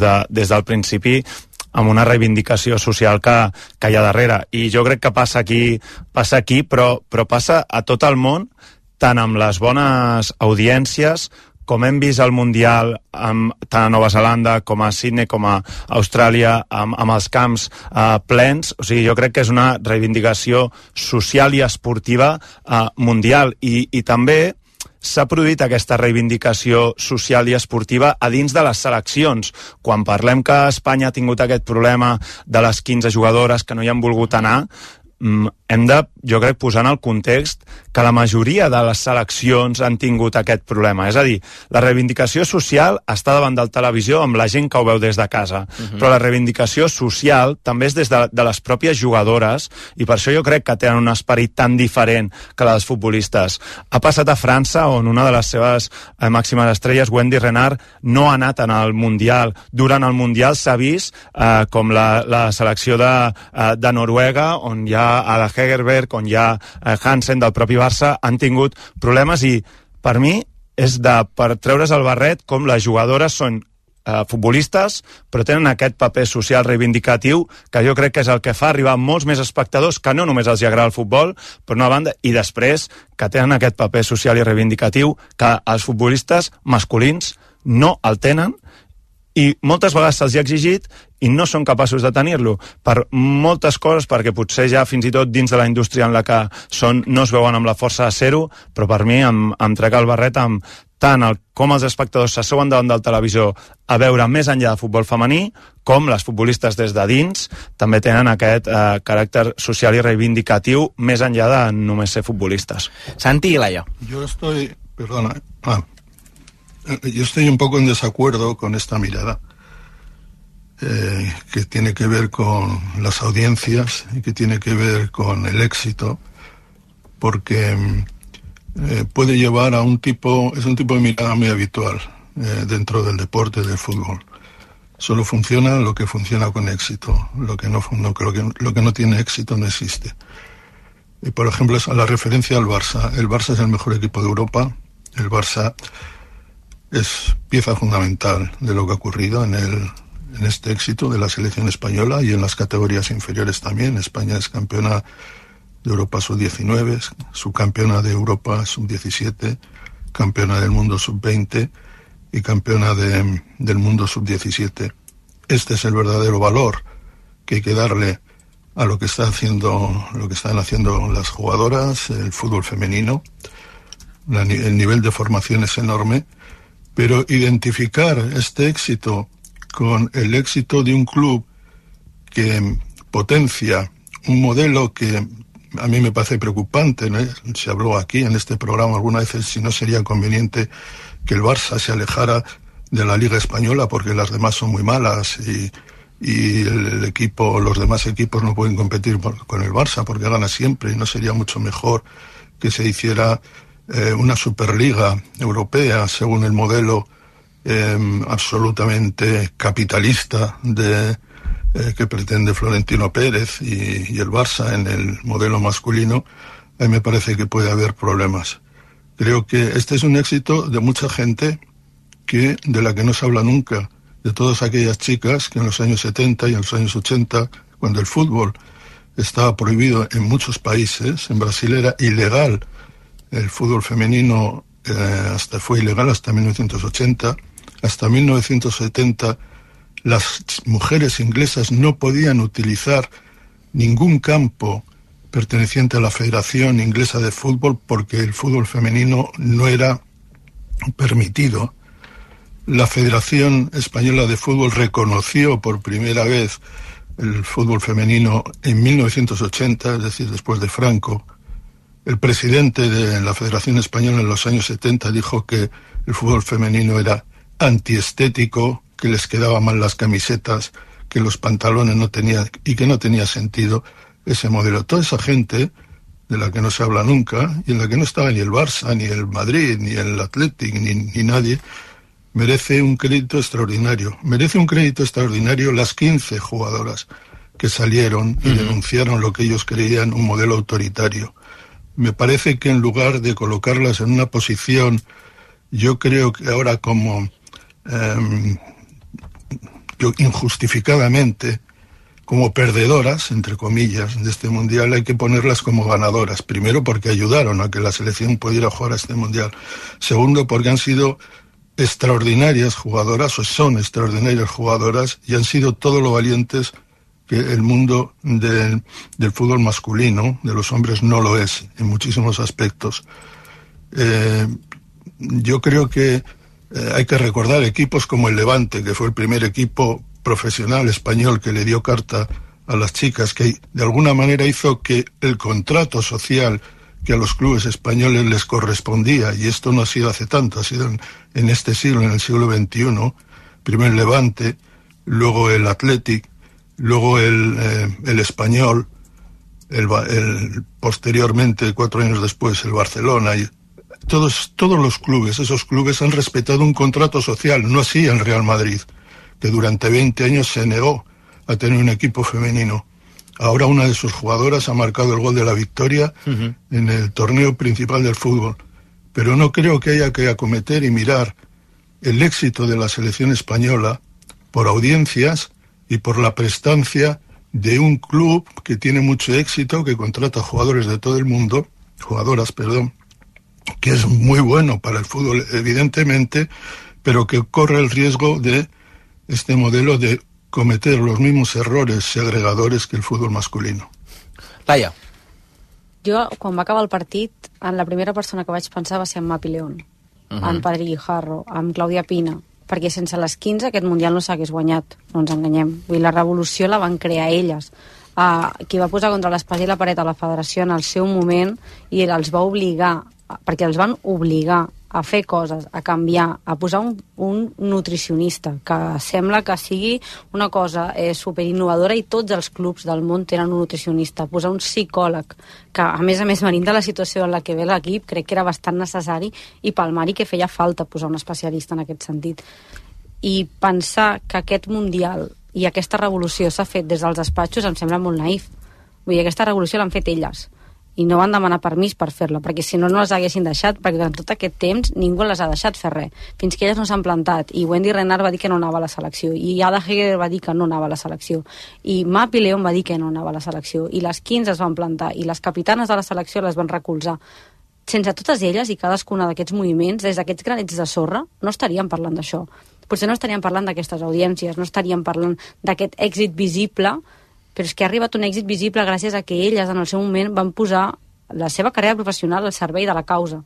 del principi, amb una reivindicació social que hi ha darrere. I jo crec que passa aquí, però passa a tot el món, tant amb les bones audiències, com hem vist al Mundial tant a Nova Zelanda com a Sydney com a Austràlia, amb els camps plens. O sigui, jo crec que és una reivindicació social i esportiva mundial. I també s'ha produït aquesta reivindicació social i esportiva a dins de les seleccions. Quan parlem que Espanya ha tingut aquest problema de les 15 jugadores que no hi han volgut anar, hem de, jo crec, posar en el context que la majoria de les seleccions han tingut aquest problema. És a dir, la reivindicació social està davant del televisió amb la gent que ho veu des de casa, però la reivindicació social també és des de les pròpies jugadores, i per això jo crec que tenen un esperit tan diferent que la dels futbolistes. Ha passat a França, on una de les seves màximes estrelles, Wendy Renard, no ha anat en el Mundial. Durant el Mundial s'ha vist com la selecció de Noruega, on hi ha Ada Hegerberg, on hi ha Hansen del propi Barça, han tingut problemes, i per mi és per treure's el barret com les jugadores són futbolistes, però tenen aquest paper social reivindicatiu que jo crec que és el que fa arribar molts més espectadors que no només els agrada el futbol, per una banda, i després que tenen aquest paper social i reivindicatiu que els futbolistes masculins no el tenen, i moltes vegades se'ls ha exigit i no són capaços de tenir-lo per moltes coses, perquè potser ja fins i tot dins de la indústria en la que són no es veuen amb la força de ser-ho, però per mi em trec el barret amb tant com els espectadors s'asseuen davant del televisor a veure més enllà de futbol femení, com les futbolistes des de dins també tenen aquest caràcter social i reivindicatiu més enllà de només ser futbolistes. Santi i Laia. Yo estoy un poco en desacuerdo con esta mirada que tiene que ver con las audiencias y que tiene que ver con el éxito, porque puede llevar a es un tipo de mirada muy habitual dentro del deporte, del fútbol. Solo funciona lo que funciona con éxito, lo que no tiene éxito no existe. Y por ejemplo, la referencia al Barça. El Barça es el mejor equipo de Europa. El Barça es pieza fundamental de lo que ha ocurrido en este éxito de la selección española y en las categorías inferiores también. España es campeona de Europa sub-19, subcampeona de Europa sub-17, campeona del mundo sub-20 y campeona del mundo sub-17. Este es el verdadero valor que hay que darle a lo que están haciendo las jugadoras, el fútbol femenino. El nivel de formación es enorme. Pero identificar este éxito con el éxito de un club que potencia un modelo que a mí me parece preocupante, ¿no? Se habló aquí en este programa algunas veces si no sería conveniente que el Barça se alejara de la Liga Española porque las demás son muy malas y los demás equipos no pueden competir con el Barça porque gana siempre, y no sería mucho mejor que se hiciera una Superliga Europea según el modelo absolutamente capitalista que pretende Florentino Pérez y el Barça en el modelo masculino. A mí me parece que puede haber problemas. Creo que este es un éxito de mucha gente de la que no se habla nunca, de todas aquellas chicas que en los años 70 y en los años 80, cuando el fútbol estaba prohibido en muchos países, en Brasil era ilegal el fútbol femenino fue ilegal hasta 1980. Hasta 1970 las mujeres inglesas no podían utilizar ningún campo perteneciente a la Federación Inglesa de Fútbol porque el fútbol femenino no era permitido. La Federación Española de Fútbol reconoció por primera vez el fútbol femenino en 1980, es decir, después de Franco. El presidente de la Federación Española en los años 70 dijo que el fútbol femenino era antiestético, que les quedaban mal las camisetas, que los pantalones no tenían y que no tenía sentido ese modelo. Toda esa gente de la que no se habla nunca y en la que no estaba ni el Barça, ni el Madrid, ni el Athletic, ni nadie, merece un crédito extraordinario. Merece un crédito extraordinario las 15 jugadoras que salieron y denunciaron lo que ellos creían un modelo autoritario. Me parece que en lugar de colocarlas en una posición, yo creo que ahora como injustificadamente, como perdedoras, entre comillas, de este mundial, hay que ponerlas como ganadoras. Primero, porque ayudaron a que la selección pudiera jugar a este mundial. Segundo, porque han sido extraordinarias jugadoras, o son extraordinarias jugadoras, y han sido todo lo valientes que el mundo del fútbol masculino, de los hombres, no lo es, en muchísimos aspectos. Yo creo que hay que recordar equipos como el Levante, que fue el primer equipo profesional español que le dio carta a las chicas, que de alguna manera hizo que el contrato social que a los clubes españoles les correspondía, y esto no ha sido hace tanto, ha sido en este siglo, en el siglo XXI, primero el Levante, luego el Athletic, luego el Español, posteriormente, 4 años después, el Barcelona, y todos los clubes, esos clubes han respetado un contrato social, no así el Real Madrid, que durante 20 años se negó a tener un equipo femenino. Ahora una de sus jugadoras ha marcado el gol de la victoria en el torneo principal del fútbol. Pero no creo que haya que acometer y mirar el éxito de la selección española por audiencias y por la prestancia de un club que tiene mucho éxito, que contrata jugadores de todo el mundo, jugadoras, perdón, que es muy bueno para el fútbol, evidentemente, pero que corre el riesgo de este modelo de cometer los mismos errores segregadores que el fútbol masculino. Laia. Jo, quan va acabar el partit, la primera persona que vaig pensar va ser en Mapi León, en Padre Guijarro, amb Clàudia Pina, perquè sense les 15 aquest Mundial no s'hagués guanyat, no ens enganyem. Vull dir, la revolució la van crear elles. Qui va posar contra l'espasa i la paret a la federació en el seu moment i els va obligar, perquè els van obligar a fer coses, a canviar, a posar un nutricionista, que sembla que sigui una cosa superinnovadora i tots els clubs del món tenen un nutricionista, posar un psicòleg, que a més venint de la situació en la que ve l'equip, crec que era bastant necessari i palmar-hi que feia falta posar un especialista en aquest sentit. I pensar que aquest Mundial i aquesta revolució s'ha fet des dels despatxos em sembla molt naïf. Vull dir, aquesta revolució l'han fet elles i no van demanar permís per fer-la, perquè si no, no les haguessin deixat, perquè durant tot aquest temps ningú les ha deixat fer res, fins que elles no s'han plantat, i Wendy Renard va dir que no anava a la selecció, i Ada Heger va dir que no anava a la selecció, i Mapi León va dir que no anava a la selecció, i les 15 es van plantar, i les capitanes de la selecció les van recolzar. Sense totes elles i cadascuna d'aquests moviments, des d'aquests granets de sorra, no estaríem parlant d'això. Potser no estaríem parlant d'aquestes audiències, no estaríem parlant d'aquest èxit visible, però és que ha arribat un èxit visible gràcies a que elles en el seu moment van posar la seva carrera professional al servei de la causa.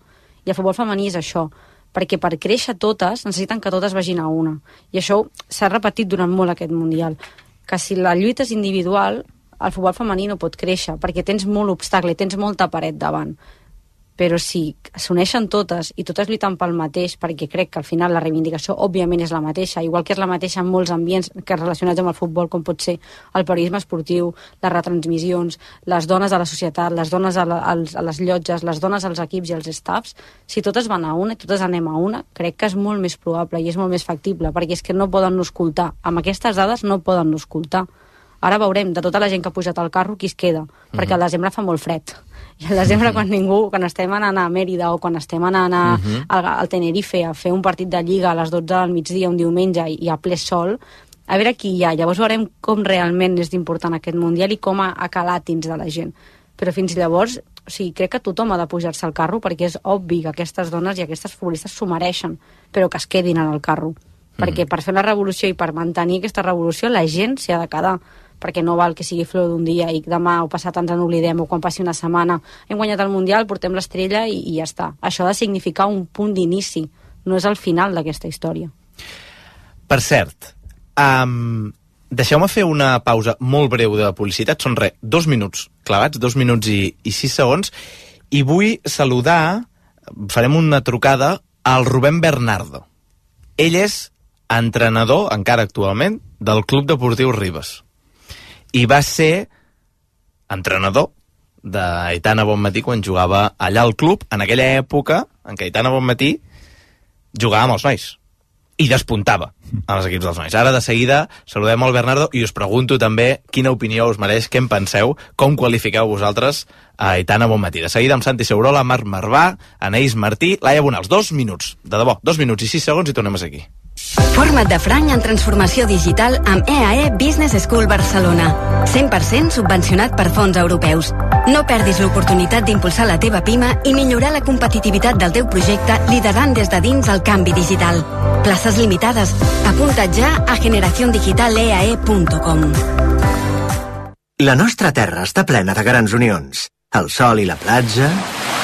I el futbol femení és això, perquè per créixer totes necessiten que totes vagin a una. I això s'ha repetit durant molt aquest Mundial, que si la lluita és individual, el futbol femení no pot créixer, perquè tens molt obstacle, tens molta paret davant. Però si s'uneixen totes i totes lluiten pel mateix, perquè crec que al final la reivindicació òbviament és la mateixa, igual que és la mateixa en molts ambients que relacionats amb el futbol, com pot ser el periodisme esportiu, les retransmissions, les dones a la societat, les dones a les llotges, les dones als equips i als staffs, si totes van a una i totes anem a una, crec que és molt més probable i és molt més factible, perquè és que no poden no escoltar. Amb aquestes dades no poden no escoltar. Ara veurem, de tota la gent que ha pujat al carro, qui es queda, perquè al desembre fa molt fred. I al desembre, quan estem anant a Mèrida o quan estem anant al Tenerife a fer un partit de Lliga a les 12 del migdia un diumenge i a ple sol, a veure qui hi ha. Llavors veurem com realment és important aquest Mundial i com ha calat dins de la gent. Però fins llavors O sigui, crec que tothom ha de pujar-se al carro, perquè és obvi que aquestes dones i aquestes futbolistes s'ho mereixen, però que es quedin en el carro. Perquè per fer la revolució i per mantenir aquesta revolució la gent s'hi ha de quedar, perquè no val que sigui flor d'un dia i demà o passat ens n'oblidem, o quan passi una setmana hem guanyat el Mundial, portem l'estrella i ja està. Això ha de significar un punt d'inici, no és el final d'aquesta història. Per cert, deixeu-me fer una pausa molt breu de publicitat, són 2 minuts clavats, 2 minuts i 6 segons, i vull saludar, farem una trucada al Rubén Bernardo. Ell és entrenador, encara actualment, del Club Deportiu Ribes. I va ser entrenador d'Aitana Bonmatí quan jugava allà al club, en aquella època en què Aitana Bonmatí jugava amb els nois i despuntava als equips dels nois. Ara, de seguida, saludem el Bernardo i us pregunto també quina opinió us mereix, què en penseu, com qualifiqueu vosaltres a Aitana Bonmatí. De seguida amb Santi Segurola, Marc Marvà, Anaïs Martí, Laia Bonals. 2 minuts, de debò, 2 minuts i 6 segons i tornem a ser aquí. Forma't de franc en transformació digital amb EAE Business School Barcelona. 100% subvencionat per fons europeus. No perdis l'oportunitat d'impulsar la teva PIMA i millorar la competitivitat del teu projecte liderant des de dins el canvi digital. Places limitades. Apunta't ja a generaciondigitaleae.com. La nostra terra està plena de grans unions. El sol i la platja,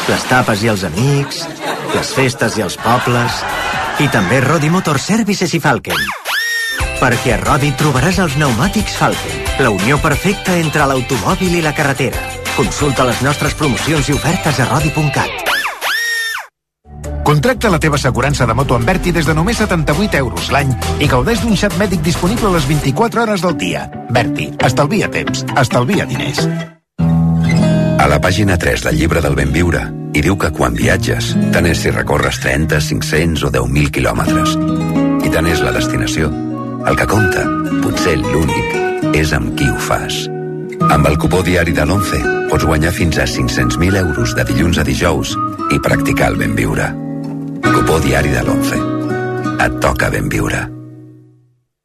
les tapes i els amics, les festes i els pobles... I també Rodi Motor Services i Falken. Perquè a Rodi trobaràs els pneumàtics Falken, la unió perfecta entre l'automòbil i la carretera. Consulta les nostres promocions i ofertes a rodi.cat. Contracta la teva assegurança de moto amb Berti des de només 78 euros l'any i gaudeix d'un xat mèdic disponible a les 24 hores del dia. Berti, estalvia temps, estalvia diners. A la pàgina 3 del llibre del Ben Viure hi diu que quan viatges, tant és si recorres 30, 500 o 10.000 quilòmetres. I tant és la destinació. El que compta, potser l'únic, és amb qui ho fas. Amb el cupó diari de l'11 pots guanyar fins a 500.000 euros de dilluns a dijous i practicar el Ben Viure. Cupó diari de l'11. Et toca Ben Viure.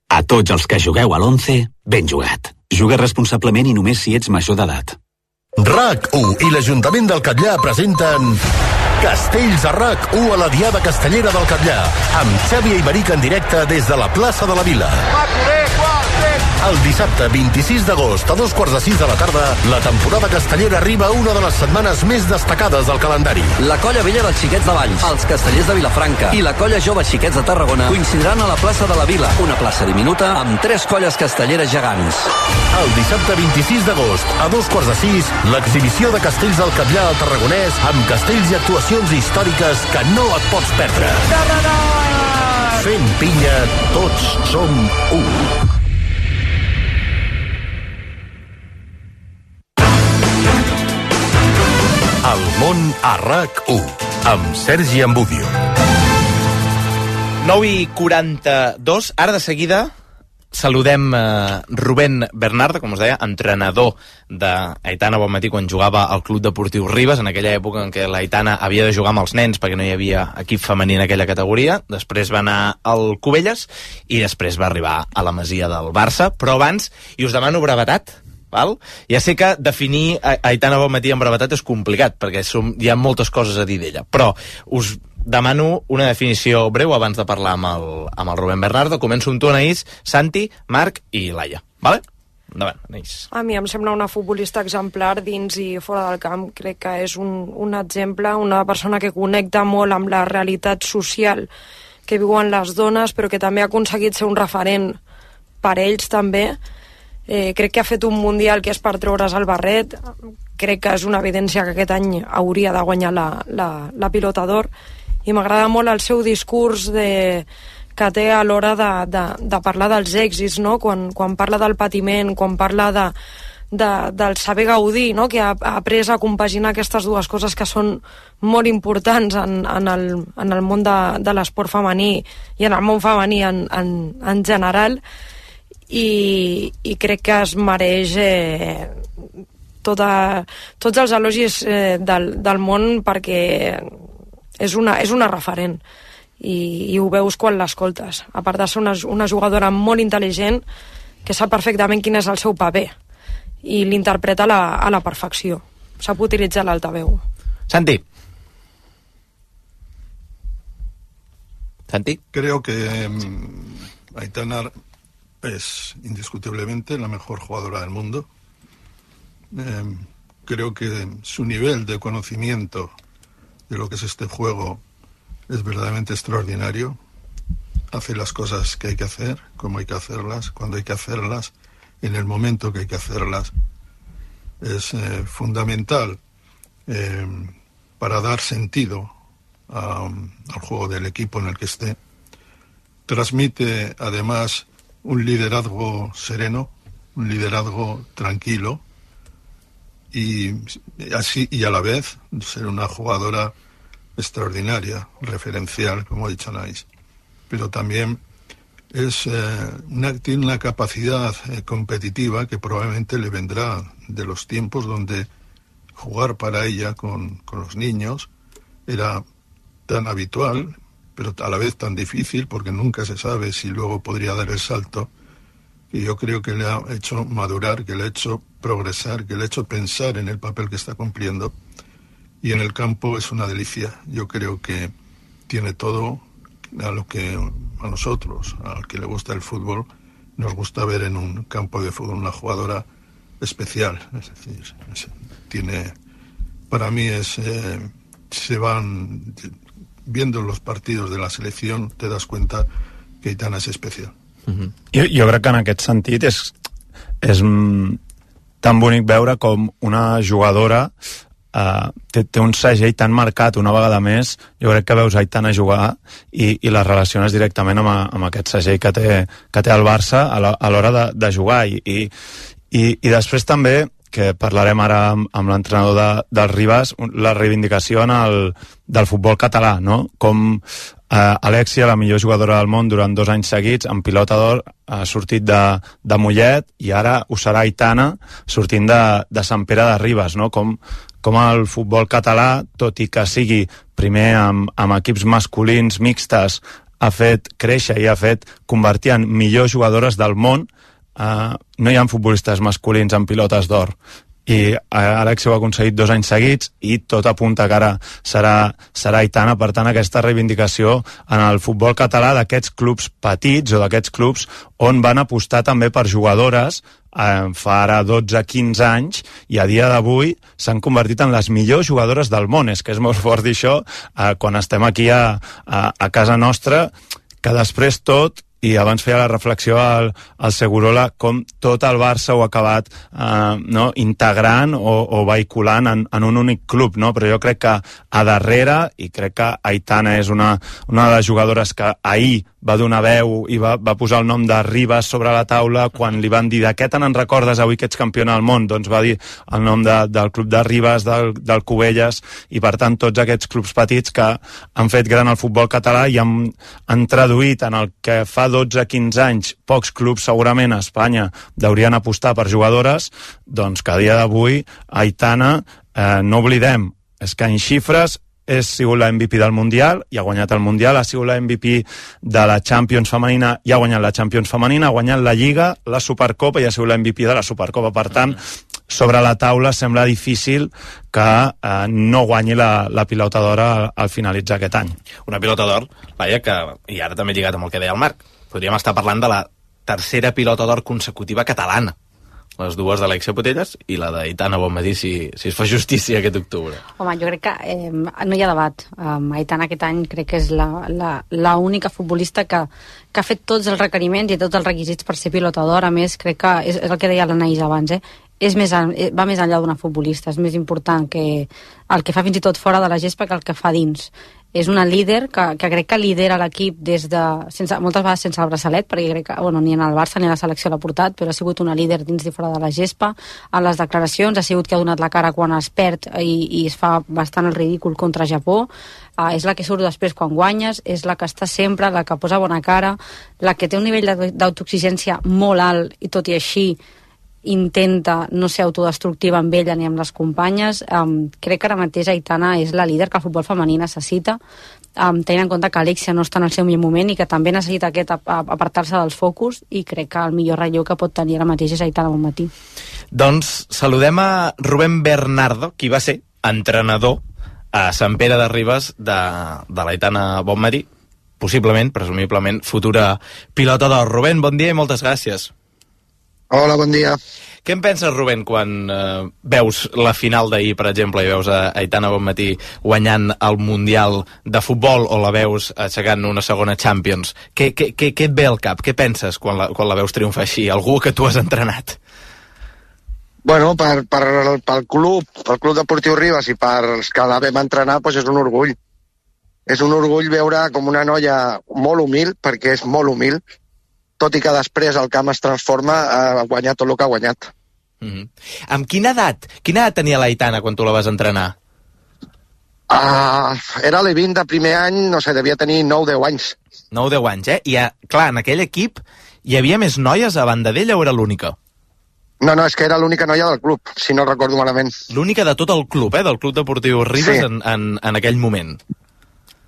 A tots els que jugueu a l'11, ben jugat. Juga responsablement i només si ets major d'edat. RAC1 i l'Ajuntament del Catllar presenten Castells a RAC1 a la Diada Castellera del Catllar, amb Xavi Aymeric en directe des de la plaça de la Vila. El dissabte 26 d'agost a 2:45 de la tarda, la temporada castellera arriba a una de les setmanes més destacades del calendari. La colla vella dels Xiquets de Valls, els castellers de Vilafranca i la colla jove Xiquets de Tarragona coincidiran a la plaça de la Vila, una plaça diminuta amb 3 colles castelleres gegants. El dissabte 26 d'agost a 2:15, l'exhibició de castells del Catllar al Tarragonès amb castells i actuacions històriques que no et pots perdre. Fent pinya, tots som un. El món a RAC1 amb Sergi Ambudio. 9:42. Ara de seguida saludem Rubén Bernardo, com us deia, entrenador d'Aitana Bonmatí quan jugava al Club Deportiu Ribes, en aquella època en què l'Aitana havia de jugar amb els nens perquè no hi havia equip femení en aquella categoria. Després va anar al Cubelles i després va arribar a la Masia del Barça. Però abans, i us demano brevetat, val? Ja sé que definir Aitana Bonmatí en brevetat és complicat, perquè hi ha moltes coses a dir d'ella, però us demano una definició breu abans de parlar amb el Rubén Bernardo. Començo amb tu, Anaïs, Santi, Marc i Laia. Vale? Endavant, Anaïs. A mi em sembla una futbolista exemplar dins i fora del camp. Crec que és un exemple, una persona que connecta molt amb la realitat social que viuen les dones, però que també ha aconseguit ser un referent per ells també. Crec que ha fet un mundial que és per treure's el barret. Crec que és una evidència que aquest any hauria de guanyar la pilota d'or, i m'agrada molt el seu discurs que té a l'hora de parlar dels èxits, no? Quan parla del patiment, quan parla del saber gaudir, no? Que ha après a compaginar aquestes dues coses que són molt importants en el món de l'esport femení i en el món femení en general, i crec que es mereix tots els elogis del món, perquè és una referent i ho veus quan l'escoltes, a part de ser una jugadora molt intel·ligent que sap perfectament quin és el seu paper i l'interpreta a la perfecció. sap utilitzar l'altaveu. Santi. Creo que Aitana es indiscutiblemente la mejor jugadora del mundo. Creo que su nivel de conocimiento de lo que es este juego es verdaderamente extraordinario. Hace las cosas que hay que hacer, como hay que hacerlas, cuando hay que hacerlas, en el momento que hay que hacerlas. Es fundamental para dar sentido al juego del equipo en el que esté. Transmite además un liderazgo sereno, un liderazgo tranquilo y a la vez ser una jugadora extraordinaria, referencial, como ha dicho Anaís. Pero también tiene una capacidad competitiva que probablemente le vendrá de los tiempos donde jugar para ella con los niños era tan habitual, pero a la vez tan difícil, porque nunca se sabe si luego podría dar el salto, que yo creo que le ha hecho madurar, que le ha hecho progresar, que le ha hecho pensar en el papel que está cumpliendo, y en el campo es una delicia. Yo creo que tiene todo a lo que a nosotros, al que le gusta el fútbol, nos gusta ver en un campo de fútbol una jugadora especial. Es decir, para mí se van viendo los partidos de la selección, te das cuenta que Aitana és especial. Jo crec que en aquest sentit és tan bonic veure com una jugadora té un segell tan marcat una vegada més. Jo crec que veus Aitana jugar i la relaciones directament amb aquest segell que té el Barça a l'hora de jugar i després també, que parlarem ara amb l'entrenador del Ribas, la reivindicació del futbol català, no? Com Alexia, la millor jugadora del món durant 2 anys seguits, en pilota d'or, ha sortit de Mollet i ara ho serà Aitana sortint de Sant Pere de Ribes, no? Com el futbol català, tot i que sigui primer amb equips masculins mixtes, ha fet créixer i ha fet convertir en millors jugadores del món. No hi ha futbolistes masculins amb pilotes d'or i Alexia ho ha aconseguit 2 anys seguits i tot apunta que ara serà Aitana. Per tant, aquesta reivindicació en el futbol català d'aquests clubs petits o d'aquests clubs on van apostar també per jugadores fa ara 12-15 anys i a dia d'avui s'han convertit en les millors jugadores del món. És que és molt fort dir això quan estem aquí a casa nostra, que després tot, i abans feia la reflexió al Segurola, com tot el Barça ho ha acabat integrant o vehiculant en un únic club, no? Però jo crec que a darrere, i crec que Aitana és una de les jugadores que ahir va donar veu i va posar el nom de Ribas sobre la taula quan li van dir de què te n'en recordes avui que ets campiona del món, doncs va dir el nom del club de Ribas, del Cubelles, i per tant tots aquests clubs petits que han fet gran el futbol català i han traduït en el que fa 12-15 anys pocs clubs segurament a Espanya deurien apostar per jugadores, doncs que a dia d'avui Aitana, no oblidem, és que en xifres ha sigut la MVP del Mundial i ha guanyat el Mundial, ha sigut la MVP de la Champions femenina i ha guanyat la Champions femenina, ha guanyat la Lliga, la Supercopa i ha sigut la MVP de la Supercopa. Per tant, sobre la taula sembla difícil que no guanyi la pilota d'or al finalitzar aquest any. Una pilota d'or, vaja, que, i ara també lligat amb el que deia el Marc, podríem estar parlant de la tercera pilota d'or consecutiva catalana. Les dues d'Alexia Putellas i la d'Aitana Bonmatí, si es fa justícia aquest octubre. Home, jo crec que no hi ha debat. Aitana aquest any crec que és l'única futbolista que ha fet tots els requeriments i tots els requisits per ser pilota d'or. A més, crec que és el que deia l'Anaïs abans, va més enllà d'una futbolista, és més important que el que fa fins i tot fora de la gespa que el que fa dins. És una líder que crec que lidera l'equip moltes vegades sense el braçalet, perquè crec que ni en el Barça ni a la selecció l'ha portat, però ha sigut una líder dins i fora de la gespa. En les declaracions ha sigut que ha donat la cara quan es perd i es fa bastant el ridícul contra Japó. És la que surt després quan guanyes, és la que està sempre, la que posa bona cara, la que té un nivell d'autoexigència molt alt i tot i així intenta no ser autodestructiva amb ella ni amb les companyes. Crec que ara mateix Aitana és la líder que el futbol femení necessita tenint en compte que Alexia no està en el seu millor moment i que també necessita apartar-se dels focus, i crec que el millor relleu que pot tenir ara mateix és Aitana Bonmatí. Doncs saludem a Rubén Bernardo, qui va ser entrenador a Sant Pere de Ribes de l'Aitana Bonmatí, possiblement, presumiblement, futura pilota d'or. Rubén, bon dia i moltes gràcies. Hola, bon dia. Què en penses, Rubén, quan veus la final d'ahir, per exemple, i veus a Aitana Bonmatí guanyant el Mundial de Futbol o la veus aixecant una segona Champions? Què et ve al cap? Què penses quan la veus triomfar així? Algú que tu has entrenat? Bueno, pel Club Deportiu Ribes i pels que la vam entrenar, doncs és un orgull. És un orgull veure com una noia molt humil, perquè és molt humil, tot i que després el camp es transforma a guanyar tot el que ha guanyat. Amb quina edat tenia l'Aitana quan tu la vas entrenar? Era l'E20 de primer any, no sé, devia tenir 9-10 anys. 9-10 anys, eh? I, clar, en aquell equip hi havia més noies a banda d'ella o era l'única? No, és que era l'única noia del club, si no recordo malament. L'única de tot el club, del Club Deportiu Ribes, sí. en aquell moment.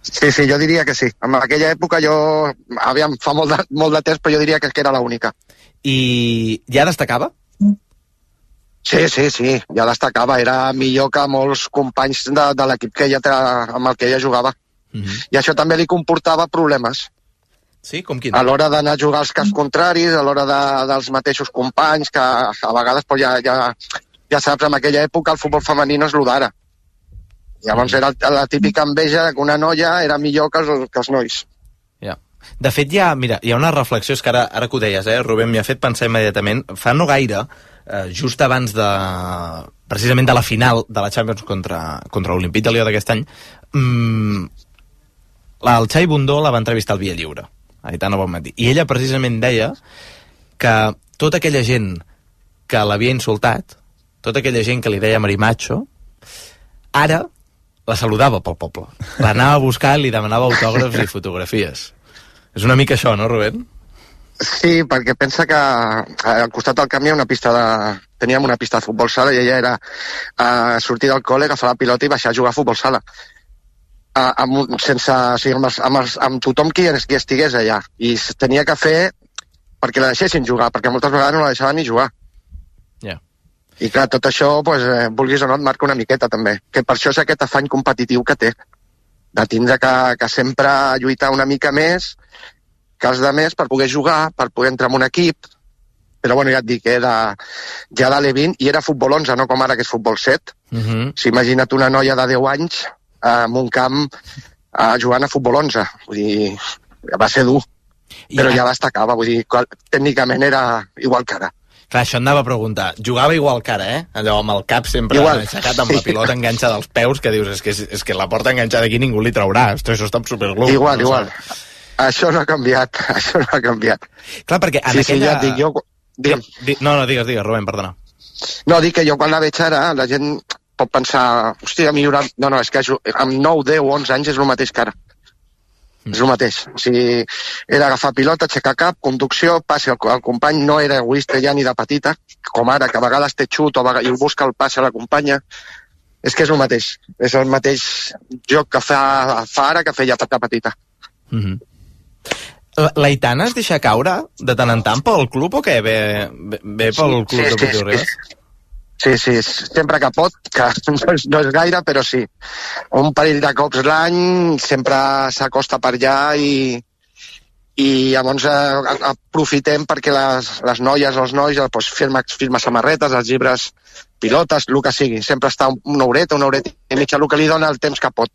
Sí, jo diria que sí. En aquella època fa molt de temps, però jo diria que era l'única. I ja destacava? Sí, ja destacava. Era millor que molts companys de l'equip amb el que ella jugava. I això també li comportava problemes. Sí, com quin? A l'hora d'anar a jugar als camps contraris, a l'hora dels mateixos companys, que a vegades ja saps, en aquella època el futbol femení no és el d'ara. Llavors era la típica enveja que una noia era millor que els nois. De fet, hi ha una reflexió, és que ara que ho deies, Rubén, m'hi ha fet pensar immediatament, fa no gaire, just abans precisament de la final de la Champions contra l'Olimpíada de Lió d'aquest any, el Xavi Bundó la va entrevistar al Via Lliure, Aitana Bonmatí, i ella precisament deia que tota aquella gent que l'havia insultat, tota aquella gent que li deia marimacho, ara la saludava pel poble. L'anava a buscar, li demanava autògrafs i fotografies. És una mica això, no, Rubén? Sí, perquè pensa que al costat del camp hi ha teníem una pista de futbol sala i ella era sortir del col·le, agafar la pilota i baixar a jugar a futbol sala. Amb tothom qui estigués allà. I tenia que fer perquè la deixessin jugar, perquè moltes vegades no la deixaven ni jugar. I clar, tot això, vulguis o no, et marca una miqueta també, que per això és aquest afany competitiu que té, de tindre que sempre lluitar una mica més que els altres per poder jugar, per poder entrar en un equip, però bueno, ja et dic, era ja de l'E20 i era futbol 11, no com ara que és futbol 7. Imagina't una noia de 10 anys en un camp jugant a futbol 11, vull dir, va ser dur, però ja destacava, vull dir, tècnicament era igual que ara. Clar, això anava a preguntar. Jugava igual que ara, allò amb el cap sempre aixecat amb la pilota enganxa dels peus, que dius, és que la porta enganxada aquí ningú li traurà. Això està superglú. Igual. Això no ha canviat, Clar, perquè en aquella... No, digues, Rubén, perdona. No, dic que jo quan la veig ara, la gent pot pensar, hòstia, millorat... No, és que amb 9, 10 o 11 anys és el mateix que ara. És el mateix. O sigui, era agafar pilota, aixecar cap, conducció, passi al company, no era egoista ja ni de petita, com ara, que a vegades té xut i busca el passe a la companya. És que és el mateix. És el mateix joc que fa ara que feia de petita. L'Aitana es deixa caure de tant en tant pel club o què? Ve pel club de Deportiu Ribes? Sí, sempre que pot, que no és gaire, però sí. Un parell de cops l'any, sempre s'acosta per allà i llavors aprofitem perquè les noies o els nois firma samarretes, els llibres, pilotes, el que sigui. Sempre està una horeta i mitja, el que li dona el temps que pot.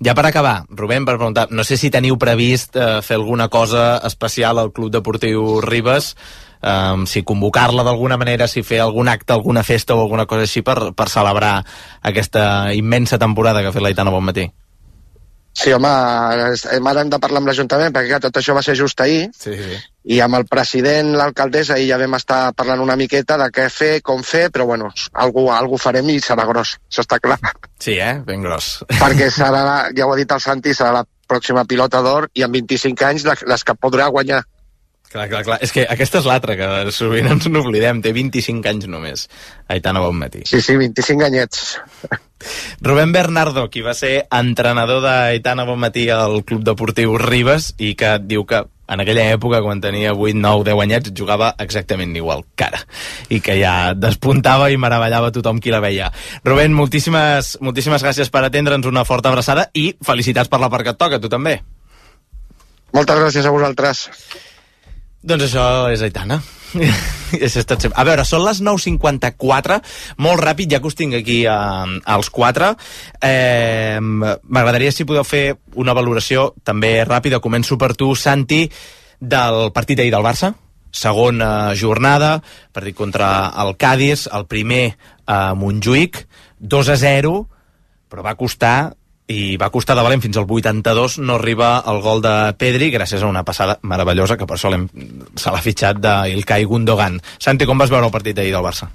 Ja per acabar, Rubén, per preguntar, no sé si teniu previst fer alguna cosa especial al Club Deportiu Ribes, si convocar-la d'alguna manera, si fer algun acte, alguna festa o alguna cosa així per celebrar aquesta immensa temporada que ha fet l'Aitana Bonmatí. Sí, home, hem de parlar amb l'Ajuntament, perquè tot això va ser just ahir, i amb el president, l'alcaldessa, i ja vam estar parlant una miqueta de què fer, com fer, però bueno, algú farem i serà gros, això està clar. Sí, ben gros. Perquè serà, ja ho ha dit el Santi, serà la pròxima pilota d'or, i amb 25 anys les que podrà guanyar. Clar. És que aquesta és l'altra, que sovint ens n'oblidem. Té 25 anys només, Aitana Bonmatí. Sí, 25 anyets. Rubén Bernardo, qui va ser entrenador d'Aitana Bonmatí al Club Deportiu Ribes i que diu que en aquella època, quan tenia 8, 9, 10 anyets, jugava exactament igual que ara. I que ja despuntava i meravellava tothom qui la veia. Rubén, moltíssimes gràcies per atendre'ns, una forta abraçada i felicitats per la part que et toca, tu també. Moltes gràcies a vosaltres. Doncs això és Aitana. A veure, són les 9:54, molt ràpid, ja que us tinc aquí als 4. M'agradaria si podeu fer una valoració també ràpida. Començo per tu, Santi, del partit d'ahir del Barça. Segona jornada, partit contra el Cádiz, el primer a Montjuïc, 2-0, però va costar de valent fins al 82, no arriba el gol de Pedri gràcies a una passada meravellosa que per això se l'ha fitxat d'Ilkay Gundogan. Santi, com vas veure el partit d'ahir del Barça?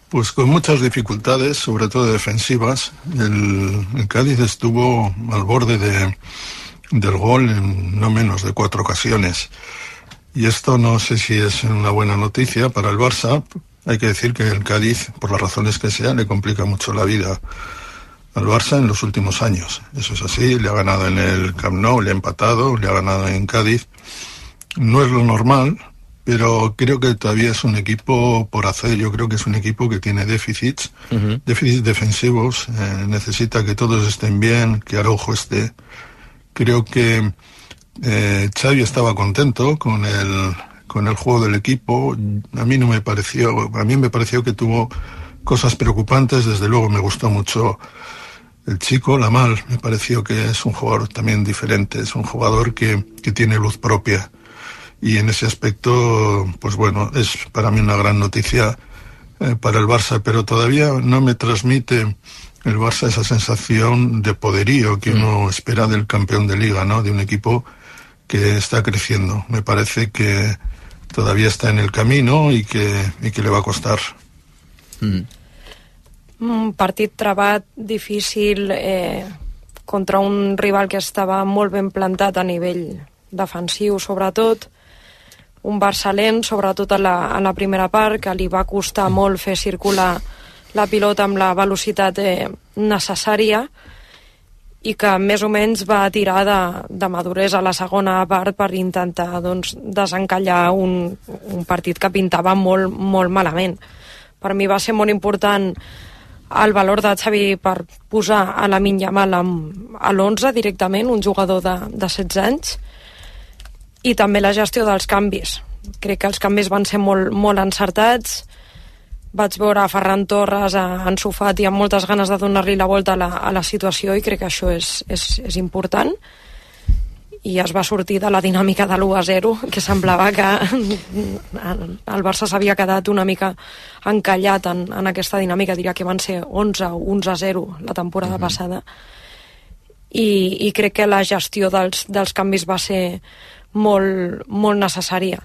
Pues con muchas dificultades, sobre todo defensivas. El Cádiz estuvo al borde del gol en no menos de 4 ocasiones. Y esto no sé si es una buena noticia para el Barça. Hay que decir que el Cádiz, por las razones que sean, le complica mucho la vida al Barça en los últimos años. Eso es así, le ha ganado en el Camp Nou, le ha empatado, le ha ganado en Cádiz. No es lo normal, pero creo que todavía es un equipo por hacer. Yo creo que es un equipo que tiene déficits, déficits defensivos, necesita que todos estén bien, que Araujo esté. Creo que Xavi estaba contento con el juego del equipo. A mí me pareció que tuvo cosas preocupantes. Desde luego me gustó mucho el chico, Lamal. Me pareció que es un jugador también diferente, es un jugador que tiene luz propia. Y en ese aspecto, pues bueno, es para mí una gran noticia para el Barça, pero todavía no me transmite el Barça esa sensación de poderío que uno espera del campeón de Liga, ¿no? De un equipo que está creciendo. Me parece que todavía está en el camino y que le va a costar. Un partit trebat, difícil, contra un rival que estava molt ben plantat a nivell defensiu, sobretot. Un Barça lent, sobretot a la primera part, que li va costar molt fer circular la pilota amb la velocitat necessària i que més o menys va tirar de maduresa a la segona part per intentar desencallar un partit que pintava molt, molt malament. Per mi va ser molt important el valor de Xavi per posar a Lamine Yamal a l'11 directament, un jugador de 16 anys, i també la gestió dels canvis. Crec que els canvis van ser molt, molt encertats. Vaig veure a Ferran Torres ensofat i amb moltes ganes de donar-li la volta a la situació, i crec que això és important. I es va sortir de la dinàmica de l'1-0, que semblava que el Barça s'havia quedat una mica encallat en aquesta dinàmica. Diria que van ser 11 o 11-0 la temporada passada. I crec que la gestió dels canvis va ser molt, molt necessària.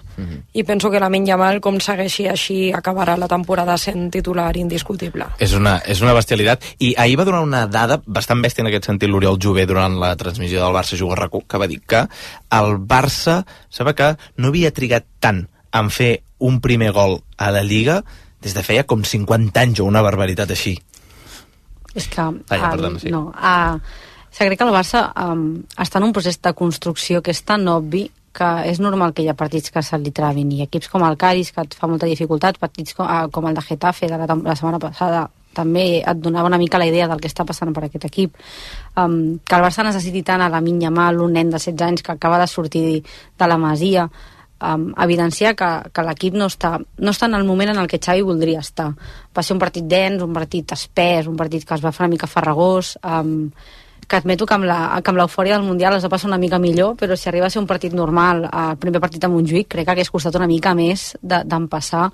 I penso que Lamine Yamal, com segueixi així, acabarà la temporada sent titular indiscutible. És una bestialitat. I ahir va donar una dada bastant bèstia en aquest sentit l'Oriol Jové durant la transmissió del Barça Juga RAC1, que va dir que el Barça sembla que no havia trigat tant en fer un primer gol a la Lliga des de feia com 50 anys o una barbaritat així. És que... crec que el Barça està en un procés de construcció que és tan obvi que és normal que hi ha partits que se li trabin, i equips com el Cádiz, que et fa molta dificultat, partits com el de Getafe de la setmana passada també et donava una mica la idea del que està passant per aquest equip. Que el Barça necessiti tant a Lamine Yamal, un nen de 16 anys que acaba de sortir de la Masia, evidenciar que l'equip no està en el moment en el que Xavi voldria estar. Va ser un partit dens, un partit espès, un partit que es va fer una mica farragós, que admeto que amb l'eufòria del Mundial es va passar una mica millor, però si arriba a ser un partit normal, el primer partit a Montjuïc, crec que hagués costat una mica més d'empassar,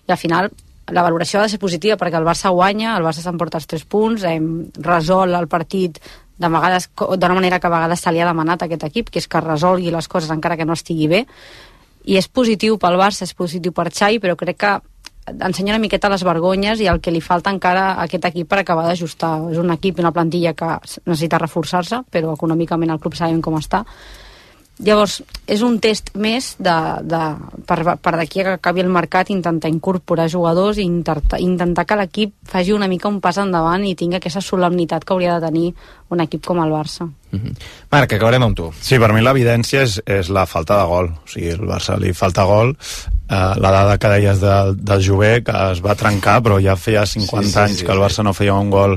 i al final la valoració ha de ser positiva perquè el Barça guanya, el Barça s'emporta els 3 punts, hem resolt el partit d'una manera que a vegades se li ha demanat a aquest equip, que és que resolgui les coses encara que no estigui bé, i és positiu pel Barça, és positiu per Xavi, però crec que ensenya una miqueta les vergonyes i el que li falta encara a aquest equip per acabar d'ajustar. És un equip i una plantilla que necessita reforçar-se, però econòmicament el club sabem com està, Llavors, és un test més per d'aquí que acabi el mercat intentar incorporar jugadors i intentar que l'equip faci una mica un pas endavant i tingui aquesta solemnitat que hauria de tenir un equip com el Barça. Marc, acabarem amb tu. Sí, per mi l'evidència és la falta de gol. O sigui, el Barça li falta gol. La dada que deies del Jové, que es va trencar, però ja feia 50 anys que el Barça no feia un gol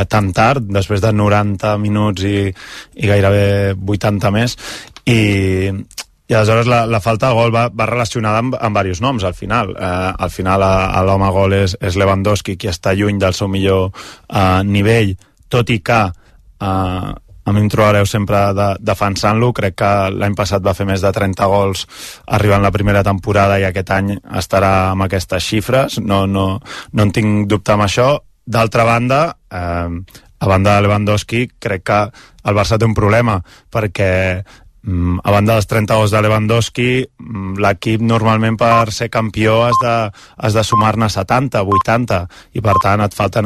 tan tard, després de 90 minuts i gairebé 80 més. I aleshores la falta de gol va relacionada amb diversos noms al final. Al final l'home gol és Lewandowski, qui està lluny del seu millor nivell, tot i que a mi em trobareu sempre defensant-lo. Crec que l'any passat va fer més de 30 gols arribant la primera temporada i aquest any estarà amb aquestes xifres. No en tinc dubte amb això. D'altra banda, a banda de Lewandowski, crec que el Barça té un problema, perquè a banda dels 30 gols de Lewandowski, l'equip normalment per ser campió has de sumar-ne 70, 80, i per tant et falten